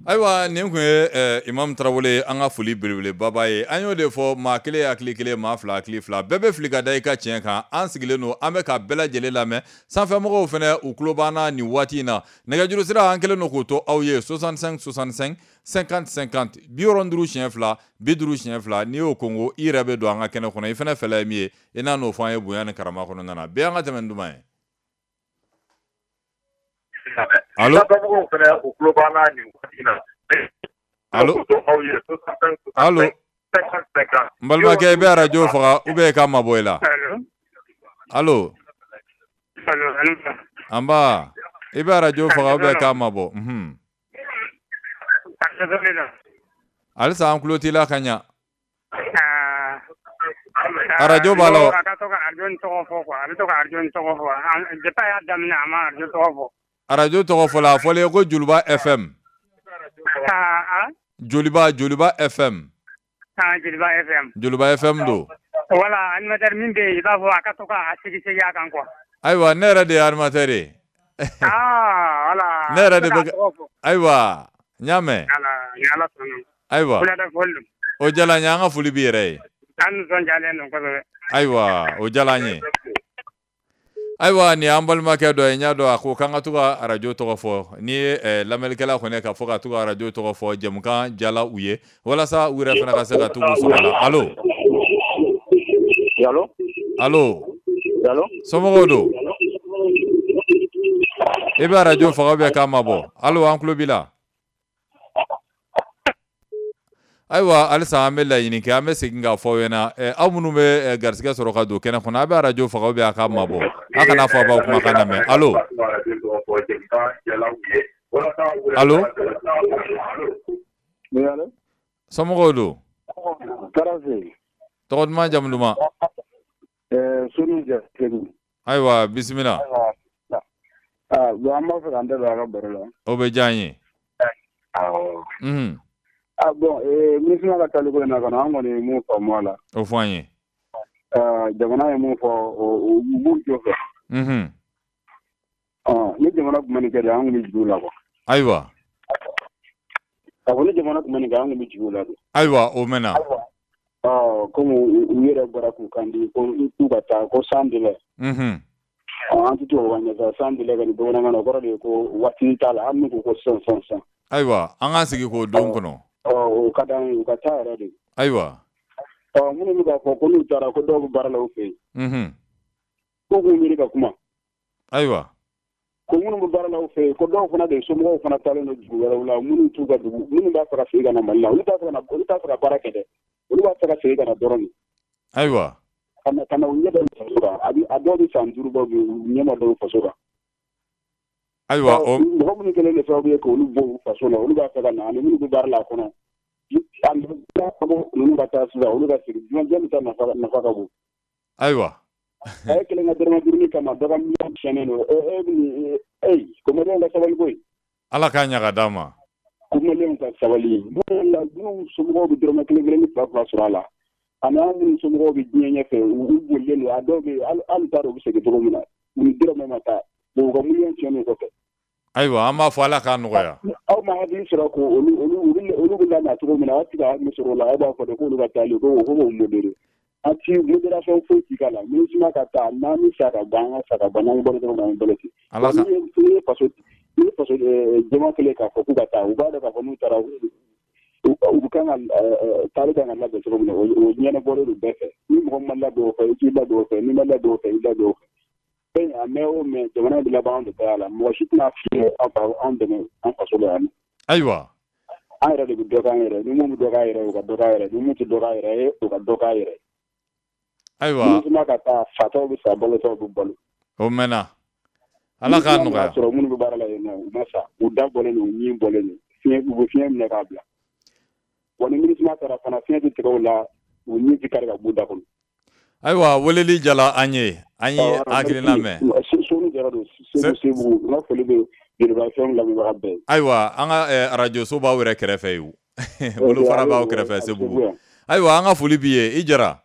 Ayiwa, nin tun ye Imam Tarawele, an ka foli belebeleba ye. An y'o de fɔ, maa kelen hakili kelen, maa fila hakili fila, bɛɛ bɛ fili ka da i ka tiɲɛ kan. An sigilen don, an bɛ ka bɛɛ lajɛlen lamɛn. Sanfɛmɔgɔw fana u tulo b'an na nin waati in na. Nɛgɛjuru sira an kɛlen don k'o to aw ye 65 65 50 50, 50 siɲɛ 2, 50 siɲɛ 2. N'i y'o kongo, i yɛrɛ bɛ don an ka kɛnɛ kɔnɔ. I fana fɛla ye min ye, i n'a n'o fɔ an ye bonya ni karama kɔnɔna na. Bɛɛ an ka tɛmɛ ni duman ye. Allo. Allo. Allo. N balimakɛ, i bɛ arajo faga ou bien i k'a mabɔ i la. Allo. Anba, i bɛ arajo faga ou bien i k'a mabɔ. Halisa an tulo t'i la ka ɲa. Arajo b'a la.
A ka to ka arajo tɔgɔ fɔ quoi, a bɛ to ka arajo tɔgɔ fɔ. Depuis a y'a daminɛ, a ma arajo tɔgɔ fɔ.
Arajo tɔgɔ fɔla, a fɔlen ko Joliba FM. Joliba, Joliba FM.
Joliba FM.
Joliba FM don.
Voilà, animateur min bɛ yen, i b'a fɔ a ka to k'a sigi sigi a kan quoi.
Ayiwa, ne yɛrɛ de ye animateur ye.
Ah, voilà.
Ne yɛrɛ de bɛ. Ayiwa, n y'a mɛn.
Voilà, ni Ala sɔnna.
Ayiwa. O diyara n ye, an ka foli b'i yɛrɛ ye.
An nisɔndiyalen don kosɛbɛ.
Ayiwa, o diyara n ye. Ayiwa, nin y'an balimakɛ dɔ ye, n y'a dɔn a ko k'an ka to ka arajo tɔgɔ fɔ. N'i ye lamɛnnikɛla kɔni k'a fɔ ka to ka arajo tɔgɔ fɔ, jɛmukan jala u ye walasa u yɛrɛ fana ka se ka to k'u sɔrɔ a la. Allo.
Allo.
Allo.
Allo.
Somɔgɔw don? I bɛ arajo faga ou bien k'a mabɔ? Allo, an tulo b'i la. Ayiwa, halisa an bɛ laɲini kɛ, an bɛ segin k'a fɔ aw ɲɛna, aw minnu bɛ garisɛgɛ sɔrɔ ka don kɛnɛ kɔnɔ, a bɛ arajo faga ou bien a k'a mabɔ. A kana fɔ a b'aw kumakan lamɛn. Allo. Allo. Somɔgɔw don? Tɔgɔ duman, jamu duman? Ayiwa, bisimila.
Bon, an b'a fɛ k'an da don a ka baro la.
O bɛ diya an ye.
Awɔ. Ah bon, MINUSMA ka taliko in na kɔni, an kɔni ye mun faamu a la.
O fɔ an ye.
Jamana ye mun fɔ, u b'u jɔ fɛ. Ni jamana tun ma nin kɛ de, an tun bɛ jigin u la quoi.
Ayiwa.
K'a fɔ ni jamana tun ma nin kɛ, an tun bɛ jigin u la de.
Ayiwa, o mɛnna.
Komi u yɛrɛ bɔra k'u kan di ko k'u ka taa ko sans délai. An tɛ tubabukan ɲɛ sa, sans délai kɔni bamanankan na, o kɔrɔ de ye ko waati t'a la, hali n'u ko ko sisan.
Ayiwa, an k'an sigi k'o don kɔnɔ.
O ka d'an ye, u ka taa yɛrɛ de.
Ayiwa.
Minnu bɛ k'a fɔ ko n'u taara ko dɔw bɛ baara la u fɛ yen. K'u k'u miiri ka kuma.
Ayiwa.
Ko minnu bɛ baara la u fɛ yen, ko dɔw fana de somɔgɔw fana taalen don dugu wɛrɛw la, minnu t'u ka dugu, minnu b'a fɛ ka segin ka na Mali la, olu t'a fɛ ka baara kɛ dɛ, olu b'a fɛ ka segin ka na dɔrɔn de.
Ayiwa.
Ka na u ɲɛ da u faso kan, a dɔw bɛ san 5 bɔ bi, u ɲɛ ma da u faso kan.
Ayiwa.
Mɔgɔ minnu kɛlen don sababu ye k'olu bɔ u faso la, olu b'a fɛ ka na, ani minnu bɛ baara la a kɔnɔ. Ninnu ka taa sisan, olu ka segin, jɔn bɛ taa nafa ka bon.
Ayiwa.
A ye kelen ka dɔrɔmɛ 5 kama dɔ ka miliyɔn tiɲɛnen don. E ko maliyɛnw ka sabali koyi.
Ala k'a ɲa ka d'an ma.
Ko maliyɛnw ka sabali. Minnu somɔgɔw bɛ dɔrɔmɛ 1 1 ni 2 2 sɔrɔ a la. Ani an minnu somɔgɔw bɛ diɲɛ ɲɛfɛ, u bolilen don. A dɔw bɛ yen, hali t'a dɔn u bɛ segin cogo min na. U ni dɔrɔmɛ ma taa. U ka miliyɔn tiɲɛnen kɔfɛ.
Ayiwa, an b'a fɔ Ala k'a nɔgɔya.
Aw ma hakili sɔrɔ ko olu bɛ lamɛn cogo min na, aw tɛ ka hakili sɔrɔ o la, aw b'a fɔ de k'olu ka taali ko k'o modéré. A ti modération foyi ti k'a la. MINUSMA ka taa, n'an bɛ sa ka ban, an ka sa ka ban, n'an balo dɔrɔn, an balo ten. N'i ye faso jama kelen k'a fɔ k'u ka taa, u b'a dɔn k'a fɔ n'u taara, u kan ka taali kan ka labɛn cogo min na, o ɲɛnabɔlen don bɛɛ fɛ. Ni mɔgɔ ma labɛn o fɛ, i k'i labɛn o fɛ, n'i ma labɛn o fɛ, i labɛn o fɛ. Fɛn a mɛn o mɛn, jamana bɛ laban anw de ta la. Mɔgɔ si tɛna f'i ye anw dɛmɛ an faso la yan.
Ayiwa.
An yɛrɛ de bɛ dɔ k'an yɛrɛ. Ni mun bɛ dɔ k'an yɛrɛ, o ka dɔ k'an yɛrɛ. Ni mun tɛ dɔ k'an yɛrɛ ye, o ka dɔ k'an yɛrɛ.
Ayiwa.
MINUSMA ka taa, fatɔw bɛ sa, balotɔw bɛ balo.
O mɛnna. Ala k'a nɔgɔya.
Sɔrɔ minnu bɛ baara la yen nɔ, u ma sa, u da bɔlen don, u ɲin bɔlen don, u bɛ fiɲɛ minɛ k'a bila. Wa ni MINUSMA taara fana, fiɲɛ tɛ tigɛ u la, u ɲin tɛ kari ka b'u da kɔnɔ.
Ayiwa, weleli jala an ye, an ye hakilina mɛn.
Sonu Jara don, Segu, n ka foli bɛ Joliba FM lamɛnbaga bɛɛ ye.
Ayiwa, an ka arajo so b'aw yɛrɛ kɛrɛfɛ yen. Bolofara b'aw kɛrɛfɛ Segu. Ayiwa, an ka foli b'i ye, i Jara.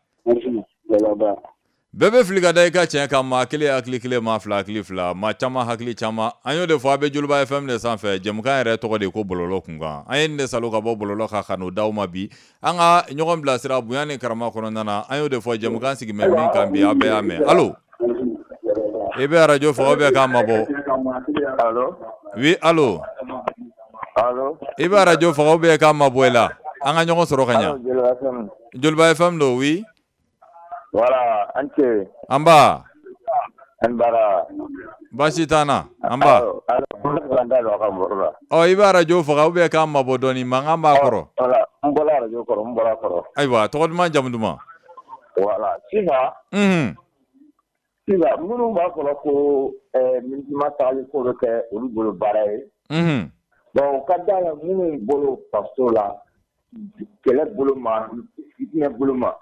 Bɛɛ bɛ fili ka da i ka tiɲɛ kan, maa kelen hakili kelen, maa fila hakili fila, maa caman hakili caman. An y'o de fɔ, a bɛ Joliba FM de sanfɛ, jɛmukan yɛrɛ tɔgɔ de ko bɔlɔlɔ kunkan. An ye nin de salo ka bɔ bɔlɔlɔ kan ka n'o d'aw ma bi. An ka ɲɔgɔn bilasira bonya ni karama kɔnɔna na, an y'o de fɔ jɛmukan sigi bɛ min kan bi, aw bɛɛ y'a mɛn. Allo, i bɛ arajo faga ou bien k'a mabɔ?
Allo.
Oui, allo.
Allo.
I bɛ arajo faga ou bien k'a mabɔ i la? An ka ɲɔgɔn sɔrɔ ka ɲa. Joliba FM don, oui.
Voilà, an ce.
An ba.
An bara.
Baasi t'an na, an ba. Ɔ, i bɛ arajo faga ou bien k'a mabɔ dɔɔni, mankan b'a kɔrɔ.
Voilà, n bɔra arajo kɔrɔ, n bɔra kɔrɔ.
Ayiwa, tɔgɔ duman, jamu duman?
Voilà, sisan. Sisan, minnu b'a fɔra ko MINUSMA tagali ko bɛ kɛ olu bolo baara ye. Bon, u ka da la minnu bolo faso la, kɛlɛ bolo ma, fitinɛ bolo ma,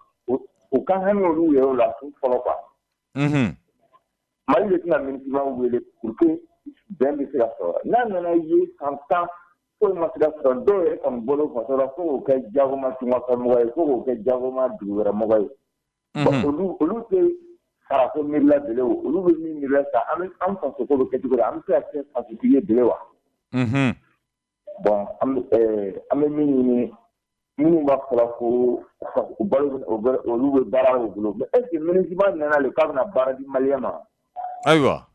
u ka hami olu yɛrɛ la fɔlɔ quoi. Mali de tɛna MINUSMA wele pour que bɛn bɛ se ka sɔrɔ. N'a nana ye san 10 foyi ma se ka sɔrɔ, dɔw yɛrɛ kɔni bolo faso la fo k'o kɛ jagoma tungafɛmɔgɔ ye, fo k'o kɛ jagoma dugu wɛrɛ mɔgɔ ye. Olu tɛ sarako miirila bele o, olu bɛ min miirila sa, an bɛ an faso ko bɛ kɛ cogo di, an bɛ se ka kɛ fasotigi ye bele wa? Bon, an bɛ min ɲini, minnu b'a fɔra ko balo olu bɛ baara o bolo, mais est ce que MINUSMA nana le k'a bɛna baara di maliyɛn ma?
Ayiwa.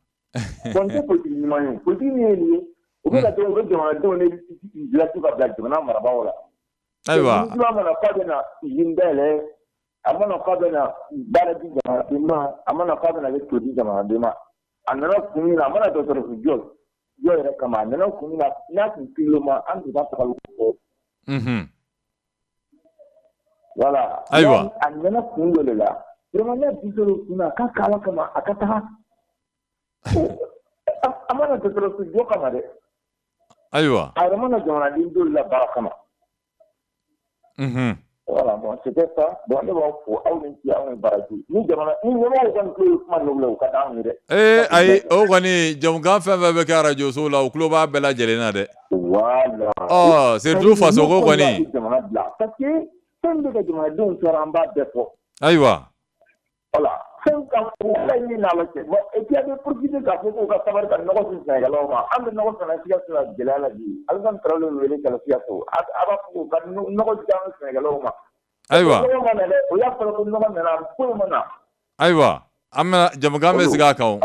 Bon, tɛ politique ɲuman ye. Politique min ye nin ye, u bɛ ka to u bɛ jamanadenw de dilantu ka bila jamana marabagaw la.
Ayiwa.
MINUSMA mana k'a bɛna usine dayɛlɛ, a mana k'a bɛna baara di jamanaden ma, a mana k'a bɛna kɛ to di jamanaden ma. A nana kun min na, a mana dɔgɔtɔrɔso jɔ yɛrɛ kama, a nana kun min na, n'a tun kilo ma, an tun t'a tagali ko fɔ. Voilà.
Ayiwa.
A nana kun dɔ de la. Vraiment, n'a bi sɔrɔ kun na, k'a k'ala kama, a ka taga. A mana dɔgɔtɔrɔso jɔ kama dɛ.
Ayiwa.
A yɛrɛ mana jamanaden dɔw la baara kama. Voilà, bon, c'était ça. Bon, ne b'aw fo, aw ni ce, aw ni baraji. Ni jamana, ni ɲɛmɔgɔw kɔni tulo ye kuma ninnu la, u ka d'anw ye dɛ.
Ee, ayi, o kɔni, jamukan fɛn fɛn bɛ kɛ arajo so la, u tulo b'a bɛɛ lajɛlen na dɛ.
Voilà.
Ɔ, surtout fasoko kɔni.
Jamana bila, parce que fɛn bɛ ka jamanadenw tɔɔrɔ, an b'a bɛɛ fɔ.
Ayiwa.
Voilà. Fɛn ka o ka ɲini n'Ala cɛ. Bon, et puis a bɛ profiter k'a fɔ k'u ka sabali ka nɔgɔ di sɛnɛkɛlaw ma. An bɛ nɔgɔ sɛnɛ Sikaso la gɛlɛya la bi. Alassane Traoré bɛ wele ka na Sikaso. A b'a fɔ k'u ka nɔgɔ di an sɛnɛkɛlaw ma.
Ayiwa.
Nɔgɔ ma na dɛ. O y'a fɔra ko nɔgɔ nana, foyi ma na.
Ayiwa. An bɛna jamukan bɛ sigi a kan o.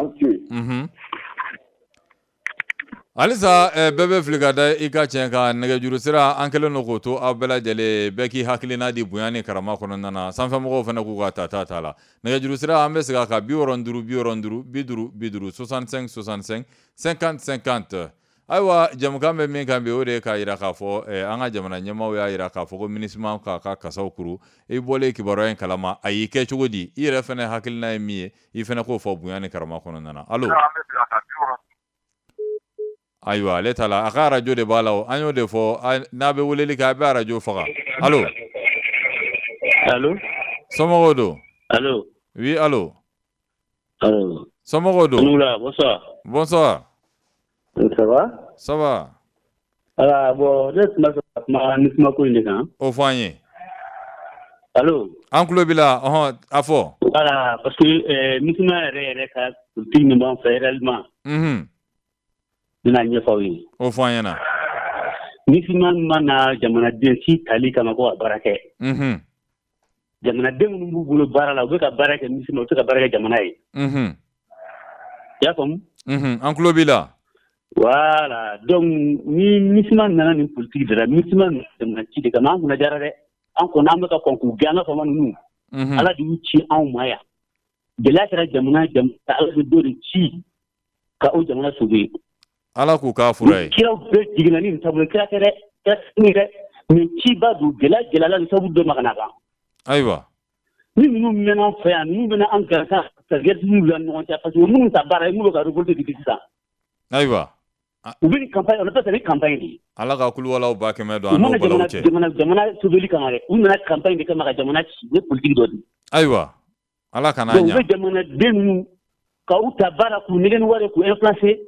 Halisa bɛɛ bɛ fili ka da i ka tiɲɛ kan. Nɛgɛjuru sira an kɛlen don k'o to aw bɛɛ lajɛlen, bɛɛ k'i hakilina di bonya ni karama kɔnɔna na. Sanfɛmɔgɔw fana k'u ka tata t'a la. Nɛgɛjuru sira an bɛ segin a kan: 65 65 50 50, 65 65 50 50. Ayiwa, jamukan bɛ min kan bi, o de ye k'a jira k'a fɔ an ka jamana ɲɛmaaw y'a jira k'a fɔ ko MINUSMA k'a ka kasaw kuru. I bɔlen kibaruya in kalama, a y'i kɛ cogo di? I yɛrɛ fana hakilina ye min ye, i fana k'o fɔ bonya ni karama kɔnɔna na. Allo. Ayiwa, ale t'a la, a ka arajo de b'a la. O an y'o de fɔ, n'a bɛ weleli kɛ, a bɛ arajo faga. Allo.
Allo.
Somɔgɔw don?
Allo.
Oui, allo.
Allo.
Somɔgɔw don?
Oula, bonsoir.
Bonsoir.
Ça va?
Ça va.
Voilà, bon, ne tun b'a fɛ ka kuma MINUSMA ko in de kan.
O fɔ an ye.
Allo.
An tulo b'i la, ɔhɔn, a fɔ.
Voilà, parce que MINUSMA yɛrɛ ka politique min b'an fɛ réellement. N bɛna ɲɛfɔ aw ye.
O fɔ an ɲɛna.
MINUSMA ma na jamanaden si tali kama ko ka baara kɛ. Jamanaden minnu b'u bolo baara la, u bɛ ka baara kɛ MINUSMA, u tɛ ka baara kɛ jamana ye. I y'a faamu?
An tulo b'i la.
Voilà, donc ni MINUSMA nana nin politique de la, MINUSMA nana jamana ci de kama, an kunna diyara dɛ. An kɔni an bɛ ka kɔn k'u gɛn, an ka faama ninnu. Ala de y'u ci anw ma yan. Gɛlɛya kɛra jamana Ala bɛ dɔ de ci ka o jamana sauver.
Ala k'u k'a fura ye.
Kiraw bɛɛ jiginna ni nin taabolo, kira tɛ dɛ, kira tɛ dɛ. Mais ciba don, gɛlɛya gɛlɛyala ni sababu dɔ ma ka na kan.
Ayiwa.
Ni ninnu mɛnna an fɛ yan, ninnu bɛna an gansan ka guerre civile wuli an ni ɲɔgɔn cɛ, parce que minnu ta baara ye, minnu bɛ ka révolte de sisan.
Ayiwa.
U bɛ nin campagne, on appelle ça ni campagne de ye.
Ala ka kuluwalaw ba kɛmɛ don an n'o balaw cɛ.
U mana jamana sauveli kama dɛ, u nana campagne de kama ka jamana ci, u ye politique dɔ di.
Ayiwa. Ala kana ɲa.
Donc u bɛ jamanaden ninnu ka u ta baara k'u nɛgɛ ni wari k'u influencer.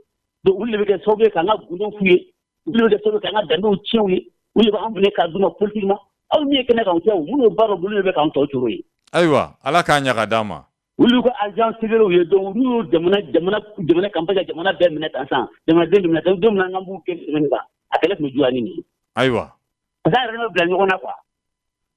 Donc olu de bɛ kɛ sababu ye k'an ka gundow f'u ye, olu de bɛ kɛ sababu ye k'an ka danbew tiɲɛ u ye, olu de b'an minɛ k'a d'u ma politiquement. Aw min ye kɛnɛ kan o tɛ o, minnu bɛ baara bolo de bɛ k'an tɔ cogo ye.
Ayiwa, Ala k'a ɲa ka d'an ma.
Olu ka agent secret ye, donc n'u y'o jamana campagne ka jamana bɛɛ minɛ tan sisan, jamanaden bɛ minɛ tan, don min na an b'u kɛ semaine kan, a kɛlɛ tun bɛ juguya ni nin ye.
Ayiwa.
Parce que an yɛrɛ bɛ bila ɲɔgɔn na quoi.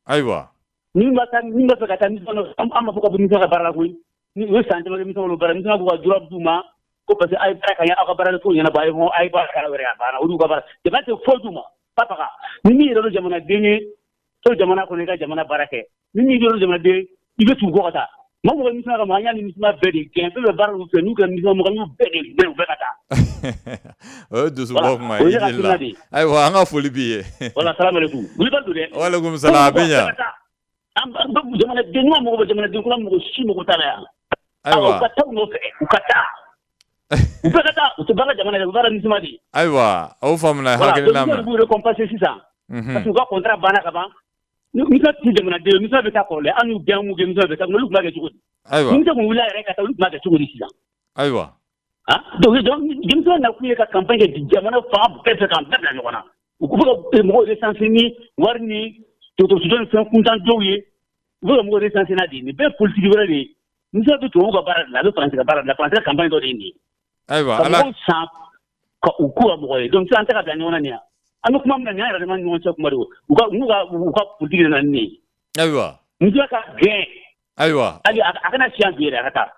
Ayiwa.
Ni b'a fɛ ka taa mission na, an b'a fɔ ka bɔ mission ka baara la koyi. Ni u ye san caman kɛ mission bolo baara, mission b'u ka droit d'u ma ko parce que a ye baara ka ɲɛ, aw ka baara ko ɲɛnabɔ, a ye baara kɛra wɛrɛ a banna, olu ka baara. Jamana tɛ foyi d'u ma, faga. Ni min yɛrɛ don jamanaden ye, to jamana kɔnɔ i ka jamana baara kɛ. Ni min yɛrɛ don jamanaden, i bɛ tugu kɔ ka taa. Mɔgɔ mɔgɔ MINUSMA kama, an y'a ni MINUSMA bɛɛ de gɛn, fɛn bɛɛ baara u fɛ, n'u kɛra MINUSMA mɔgɔ, n'u bɛɛ de gɛn, u bɛɛ ka taa.
O ye dusubɔ kuma ye, i ni la. Ayiwa, an ka foli b'i ye.
Voilà, salam aleykum. Wulibali don dɛ.
Walekum salam, a bɛ ɲa.
An jamanaden ɲuman mɔgɔ bɛ jamanaden kura mɔgɔ si mɔgɔ t'a la yan.
Ayiwa.
U ka taa u nɔfɛ, u ka taa. U bɛɛ ka taa, u tɛ baara jamana ye, u baara MINUSMA de ye.
Ayiwa, aw faamuna hakilina
ma. Voilà, donc b'u récompenser sisan. Parce que u ka contrat banna ka ban. MINUSMA tɛ jamanaden ye, MINUSMA bɛ taa kɔrɔlen, an y'u gɛn, m'u gɛn, MINUSMA bɛ taa, olu tun b'a kɛ cogo di?
Ayiwa.
MINUSMA kun wulila yɛrɛ ka taa, olu tun b'a kɛ cogo di sisan?
Ayiwa.
Ah, donc MINUSMA nakun ye ka campagne kɛ jamana fan bɛɛ fɛ k'an bɛɛ bila ɲɔgɔn na. U bɛ ka mɔgɔw recenser ni wari ni dɔgɔtɔrɔso ni fɛn kuntan dɔw ye, u bɛ ka mɔgɔw recenser n'a de ye. Nin bɛɛ ye politique wɛrɛ de ye. MINUSMA bɛ tubabuw ka baara de la, a bɛ Faransi ka baara de la, Faransi ka campagne dɔ de ye nin ye.
Ayiwa,
ka mɔgɔw san ka u k'u ka mɔgɔ ye. Donc sisan an tɛ ka bila ɲɔgɔn na nin ye. An bɛ kuma min na nin y'an yɛrɛ dama ni ɲɔgɔn cɛ kuma de ye. U ka politique de nana ni nin ye.
Ayiwa.
MINUSMA ka gɛn.
Ayiwa.
Hali a kana si yan bi yɛrɛ, a ka taa.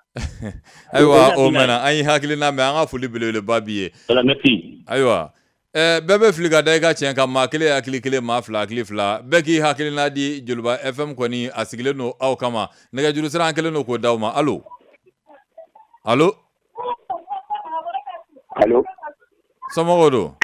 Ayiwa, o mɛnna, an y'i hakilina mɛn, an ka foli belebeleba b'i ye.
Voilà, merci.
Ayiwa. Bɛɛ bɛ fili ka da i ka tiɲɛ kan, maa kelen hakili kelen, maa fila hakili fila, bɛɛ k'i hakilina di. Joliba FM kɔni a sigilen don aw kama, nɛgɛjuru sira an kɛlen don k'o d'aw ma. Allo. Allo.
Allo.
Somɔgɔw don?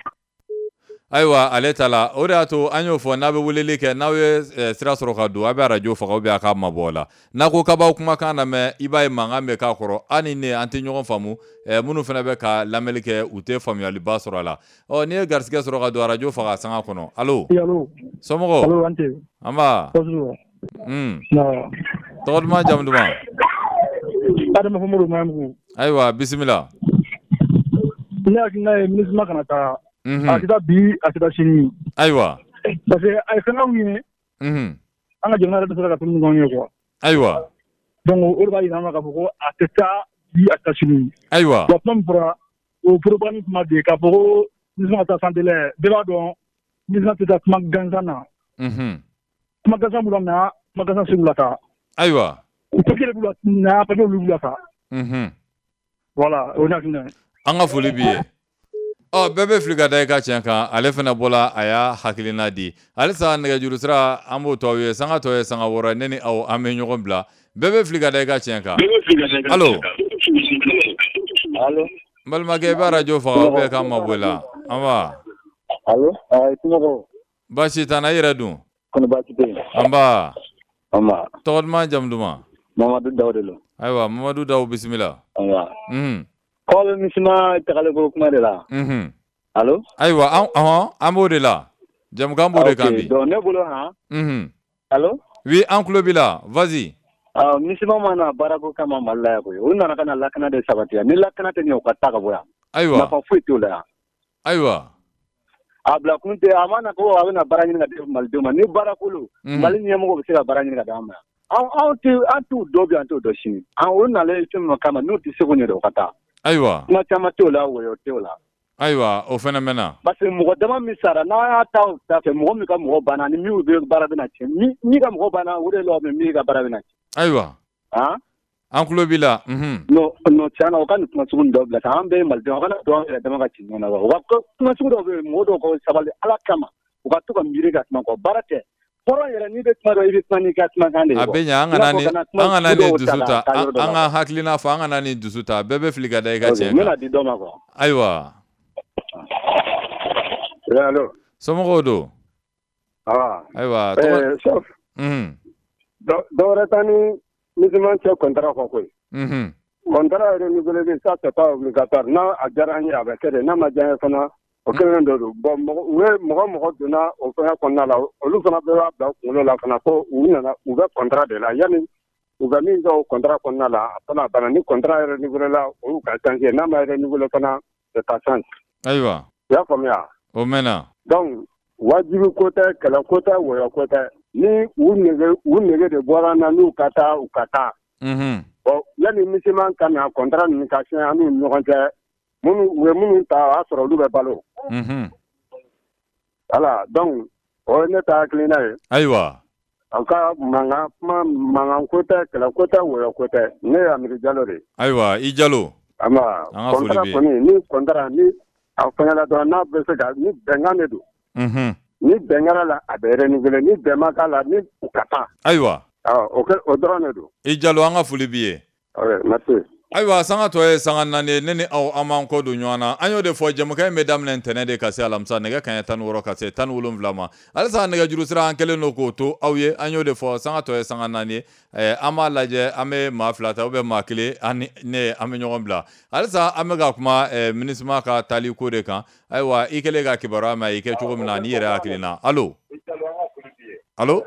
Ayiwa, ale ta la, o de y'a to an y'o fɔ, n'a bɛ weleli kɛ, n'aw ye sira sɔrɔ ka don, a bɛ arajo faga ou bien a k'a mabɔ o la. N'a ko k'a b'aw kumakan lamɛn, i b'a ye mankan bɛ k'a kɔrɔ, an ni ne an tɛ ɲɔgɔn faamu. Minnu fana bɛ ka lamɛnli kɛ, u tɛ faamuyaliba sɔrɔ a la. Ɔ, n'i ye garisɛgɛ sɔrɔ ka don, arajo faga sanga kɔnɔ. Allo.
Allo.
Somɔgɔw?
Allo, an tɛ.
An ba. Tɔgɔ duman, jamu duman?
Adama Famoro Mayamugu.
Ayiwa, bisimila.
Ne hakilina ye MINUSMA kana taa. A tɛ taa bi, a tɛ taa sini.
Ayiwa.
Parce que a ye fɛn ye. An ka jamana yɛrɛ tɛ se ka fɛn minnu ye quoi.
Ayiwa.
Donc o de b'a jira an na k'a fɔ ko a tɛ taa bi, a tɛ taa sini.
Ayiwa.
Wa kuma min fɔra, o propagande kuma de k'a fɔ ko MINUSMA ka taa sans délai, bɛɛ b'a dɔn MINUSMA tɛ taa kuma gansan na. Kuma gansan b'u la na, kuma gansan se b'u la taa.
Ayiwa.
U papier de b'u la na, papier olu b'u la taa. Voilà, o ye ne hakilina ye.
An ka foli b'i ye. Ɔ, bɛɛ bɛ fili ka da i ka tiɲɛ kan. Ale fana bɔla, a y'a hakilina di. Halisa nɛgɛjuru sira, an b'o to aw ye. Sanga tɔ ye sanga 6, ne ni aw, an bɛ ɲɔgɔn bila. Bɛɛ bɛ fili ka da i ka tiɲɛ kan. Allo?
Allo?
N balimakɛ, i bɛ arajo faga ou bien k'an mabɔ i la. An ba.
Allo? Somɔgɔw?
Baasi t'an na, i yɛrɛ dun?
Kɔni baasi tɛ yen.
An ba.
An ba.
Tɔgɔ duman, jamu duman?
Mamadu Daw de don.
Ayiwa, Mamadu Daw, bisimila.
An ba. K'aw bɛ MINUSMA tagaliko kuma de la. Allo?
Ayiwa, an b'o de la. Jamukan b'o de kan bi.
Donc ne bolo han. Allo?
Oui, an tulo b'i la. Vas-y.
MINUSMA ma na baarako kama Mali la yan koyi. U nana ka na lakana de sabati yan. Ni lakana tɛ ɲɛ, u ka taa ka bɔ yan.
Ayiwa.
Nafa foyi t'o la yan.
Ayiwa.
A bila kun tɛ, a ma na ko a bɛna baara ɲini ka di Malidenw ma. Ni baara ko don, Mali ɲɛmɔgɔw bɛ se ka baara ɲini ka d'an ma yan. An t'u dɔn bi, an t'u dɔn sini. An o nalen fɛn min kama, n'u tɛ se k'o ɲɛ, u ka taa.
Ayiwa.
Kuma caman t'o la, wɔyɔ t'o la.
Ayiwa, o fana mɛnna.
Parce que mɔgɔ dama min sara, n'a y'a ta o ta fɛ, mɔgɔ min ka mɔgɔ banna ni min bɛ baara bɛna tiɲɛ, min ka mɔgɔ banna, o de la min ka baara bɛna tiɲɛ.
Ayiwa. An tulo b'i la.
Non, non, tiɲɛ na, o ka nin kuma sugu dɔw bila sa. An bɛɛ ye Malidenw, o kana don an yɛrɛ dama ka ci ɲɔgɔn na wa. O ka kuma sugu dɔw bɛ yen, mɔgɔ dɔw ka sabali Ala kama, u ka to ka miiri ka kuma kɔ. Baara tɛ. Hɔrɔn yɛrɛ, n'i bɛ kuma dɔn, i bɛ kuma n'i ka kumakan de ye.
A bɛ ɲɛ, an kana nin dusu ta, an ka hakilina fɔ, an kana nin dusu ta. Bɛɛ bɛ fili ka da i ka tiɲɛ kan.
N bɛna di dɔ ma quoi.
Ayiwa.
Allo.
Somɔgɔw don? Ayiwa.
Chef. Dɔ wɛrɛ t'an ni MINUSMA cɛ contrat kɔ koyi. Contrat renouvelé, ça c'est pas obligatoire. N'a a diyara an ye, a bɛ kɛ de, n'a ma diya an ye fana, o kelen de don. Bon, mɔgɔ mɔgɔ donna o fɛngɛ kɔnɔna la, olu fana bɛɛ b'a bila u kunkolo la fana ko u nana, u bɛ contrat de la. Yanni u bɛ min kɛ o contrat kɔnɔna la, a fana banna. Ni contrat renouvelé la, o y'u ka chance ye. N'a ma renouvelé fana, c'est ta chance.
Ayiwa.
I y'a faamuya?
O mɛnna.
Donc wajibi ko tɛ, kɛlɛ ko tɛ, wɔyɔ ko tɛ. Ni u nege de bɔra an na, n'u ka taa, u ka taa. Bon, yanni MINUSMA ka na contrat ninnu ka signé an n'u ni ɲɔgɔn cɛ, minnu u ye minnu ta, o y'a sɔrɔ olu bɛ balo. Voilà, donc o ye ne ta hakilina ye.
Ayiwa.
Aw ka mankan kuma, mankan ko tɛ, kɛlɛ ko tɛ, wɔyɔ ko tɛ. Ne ye Amidu Jalo de ye.
Ayiwa, i Jalo.
An ba. Contrat kɔni, ni contrat ni a fɛngɛla dɔrɔn, n'a bɛ se ka, ni bɛnkan de don. Ni bɛn kɛra la, a bɛ renouveler. Ni bɛn ma k'a la, ni u ka taa.
Ayiwa.
O dɔrɔn de don.
I Jalo, an ka foli b'i ye.
Ok, merci.
Ayiwa, sanga tɔ ye sanga 4 ye. Ne ni aw, an b'an kɔ don ɲɔgɔn na. An y'o de fɔ, jɛmukan in bɛ daminɛ ntɛnɛn de ka se alamisa nɛgɛ kanɲɛ 16 ka se 17 ma. Halisa nɛgɛjuru sira, an kɛlen don k'o to aw ye. An y'o de fɔ, sanga tɔ ye sanga 4 ye. An b'a lajɛ, an bɛ maa 2 ta ou bien maa 1, an ni ne, an bɛ ɲɔgɔn bila. Halisa an bɛ ka kuma MINUSMA ka taali ko de kan. Ayiwa, i kɛlen ka kibaruya mɛn, i kɛ cogo min na, n'i yɛrɛ hakilina. Allo? Allo?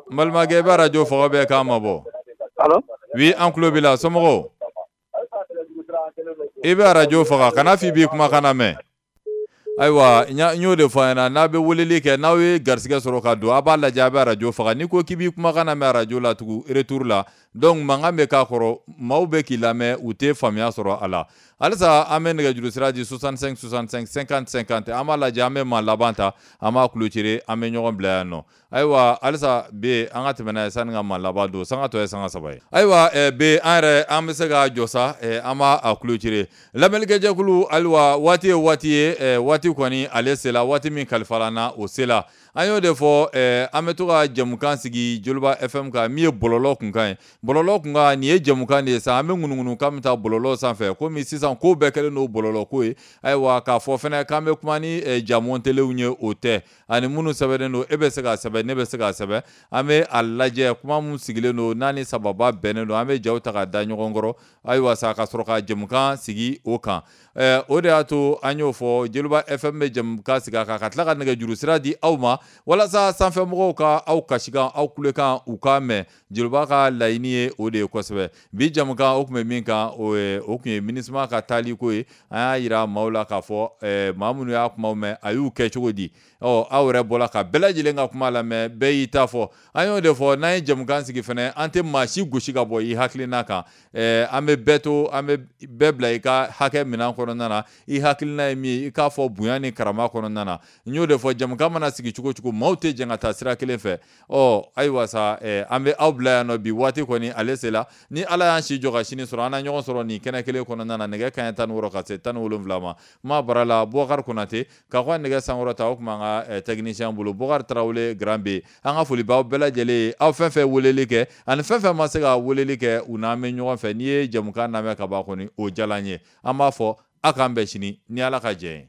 N balimakɛ, i bɛ arajo faga bɛɛ k'an mabɔ.
Allo?
Oui, an tulo b'i la. Somɔgɔw? I bɛ arajo faga, kana f'i b'i kumakan lamɛn. Ayiwa, n y'o de fɔ a ɲɛna, n'a bɛ weleli kɛ, n'aw ye garisɛgɛ sɔrɔ ka don, a b'a lajɛ, a bɛ arajo faga. N'i ko k'i b'i kumakan lamɛn arajo la tugun retour la, donc mankan bɛ k'a kɔrɔ, maaw bɛ k'i lamɛn, u tɛ faamuya sɔrɔ a la. Halisa an bɛ nɛgɛjuru sira di 65 65 50 50. An b'a lajɛ, an bɛ maa laban ta, an b'a clôturer, an bɛ ɲɔgɔn bila yan nɔ. Ayiwa, halisa B, an ka tɛmɛ n'a ye sanni ka maa laban don. Sanga tɔ ye sanga 3 ye. Ayiwa, B, an yɛrɛ an bɛ se ka jɔ sa, an b'a clôturer. Lamɛnnikɛjɛkulu, ayiwa, waati ye waati ye, waati kɔni ale sela, waati min kalifala na, o sela. An y'o de fɔ, an bɛ to ka jɛmukan sigi Joliba FM kan, min ye bɔlɔlɔ kunkan ye. Bɔlɔlɔ kunkan, nin ye jɛmukan de ye sa, an bɛ ŋunuŋunu kan bɛ taa bɔlɔlɔ sanfɛ. Komi sisan ko bɛɛ kɛlen don bɔlɔlɔ ko ye. Ayiwa, k'a fɔ fɛnɛ k'an bɛ kuma ni jamontelew ye, o tɛ. Ani minnu sɛbɛnnen don, e bɛ se k'a sɛbɛn, ne bɛ se k'a sɛbɛn. An bɛ a lajɛ, kuma min sigilen don, n'a ni sababa bɛnnen don, an bɛ jaw ta ka da ɲɔgɔn kɔrɔ. Ayiwa sa, ka sɔrɔ ka jɛmukan sigi o kan. O de y'a to an y'o fɔ, Joliba FM bɛ jɛmukan sigi a kan, ka tila ka nɛgɛjuru sira di aw ma, walasa sanfɛmɔgɔw ka aw kasikan, aw kulekan, u k'a mɛn. Joliba ka laɲini ye o de ye kosɛbɛ. Bi jɛmukan, o tun bɛ min kan, o tun ye MINUSMA ka taali ko ye. An y'a yira maaw la k'a fɔ, maa minnu y'a kumaw mɛn, a y'u kɛ cogo di. Ɔ, aw yɛrɛ bɔra ka bɛɛ lajɛlen ka kuma lamɛn, bɛɛ y'i ta fɔ. An y'o de fɔ, n'an ye jɛmukan sigi fɛnɛ, an tɛ maa si gosi ka bɔ i hakilina kan. An bɛ bɛɛ to, an bɛ bɛɛ bila i ka hakɛ minɛn kɔnɔna na. I hakilina ye min ye, i k'a fɔ bonya ni karama kɔnɔna na. N y'o de fɔ, jɛmukan mana sigi cogo cogo, maaw tɛ jɛn ka taa sira kelen fɛ. Ɔ, ayiwa sa, an bɛ aw bila yan nɔ bi. Waati kɔni ale sela. Ni Ala y'an si jɔ ka sini sɔrɔ, an na ɲɔgɔn sɔrɔ nin kɛnɛ kelen kɔnɔna na, nɛgɛ nɛgɛ kanɲɛ 16 ka se 17 ma. Kuma bara la Bubakari Konate ka kɔ nɛgɛ sankɔrɔta, o tun b'an ka technicien bolo, Bubakari Tarawele Grand B. An ka foli b'aw bɛɛ lajɛlen ye, aw fɛn fɛn weleli kɛ ani fɛn fɛn ma se ka weleli kɛ, u n'an bɛ ɲɔgɔn fɛ. N'i ye jɛmukan lamɛn ka ban kɔni, o diyara n ye. An b'a fɔ aw k'an bɛn sini ni Ala ka jɛ ye.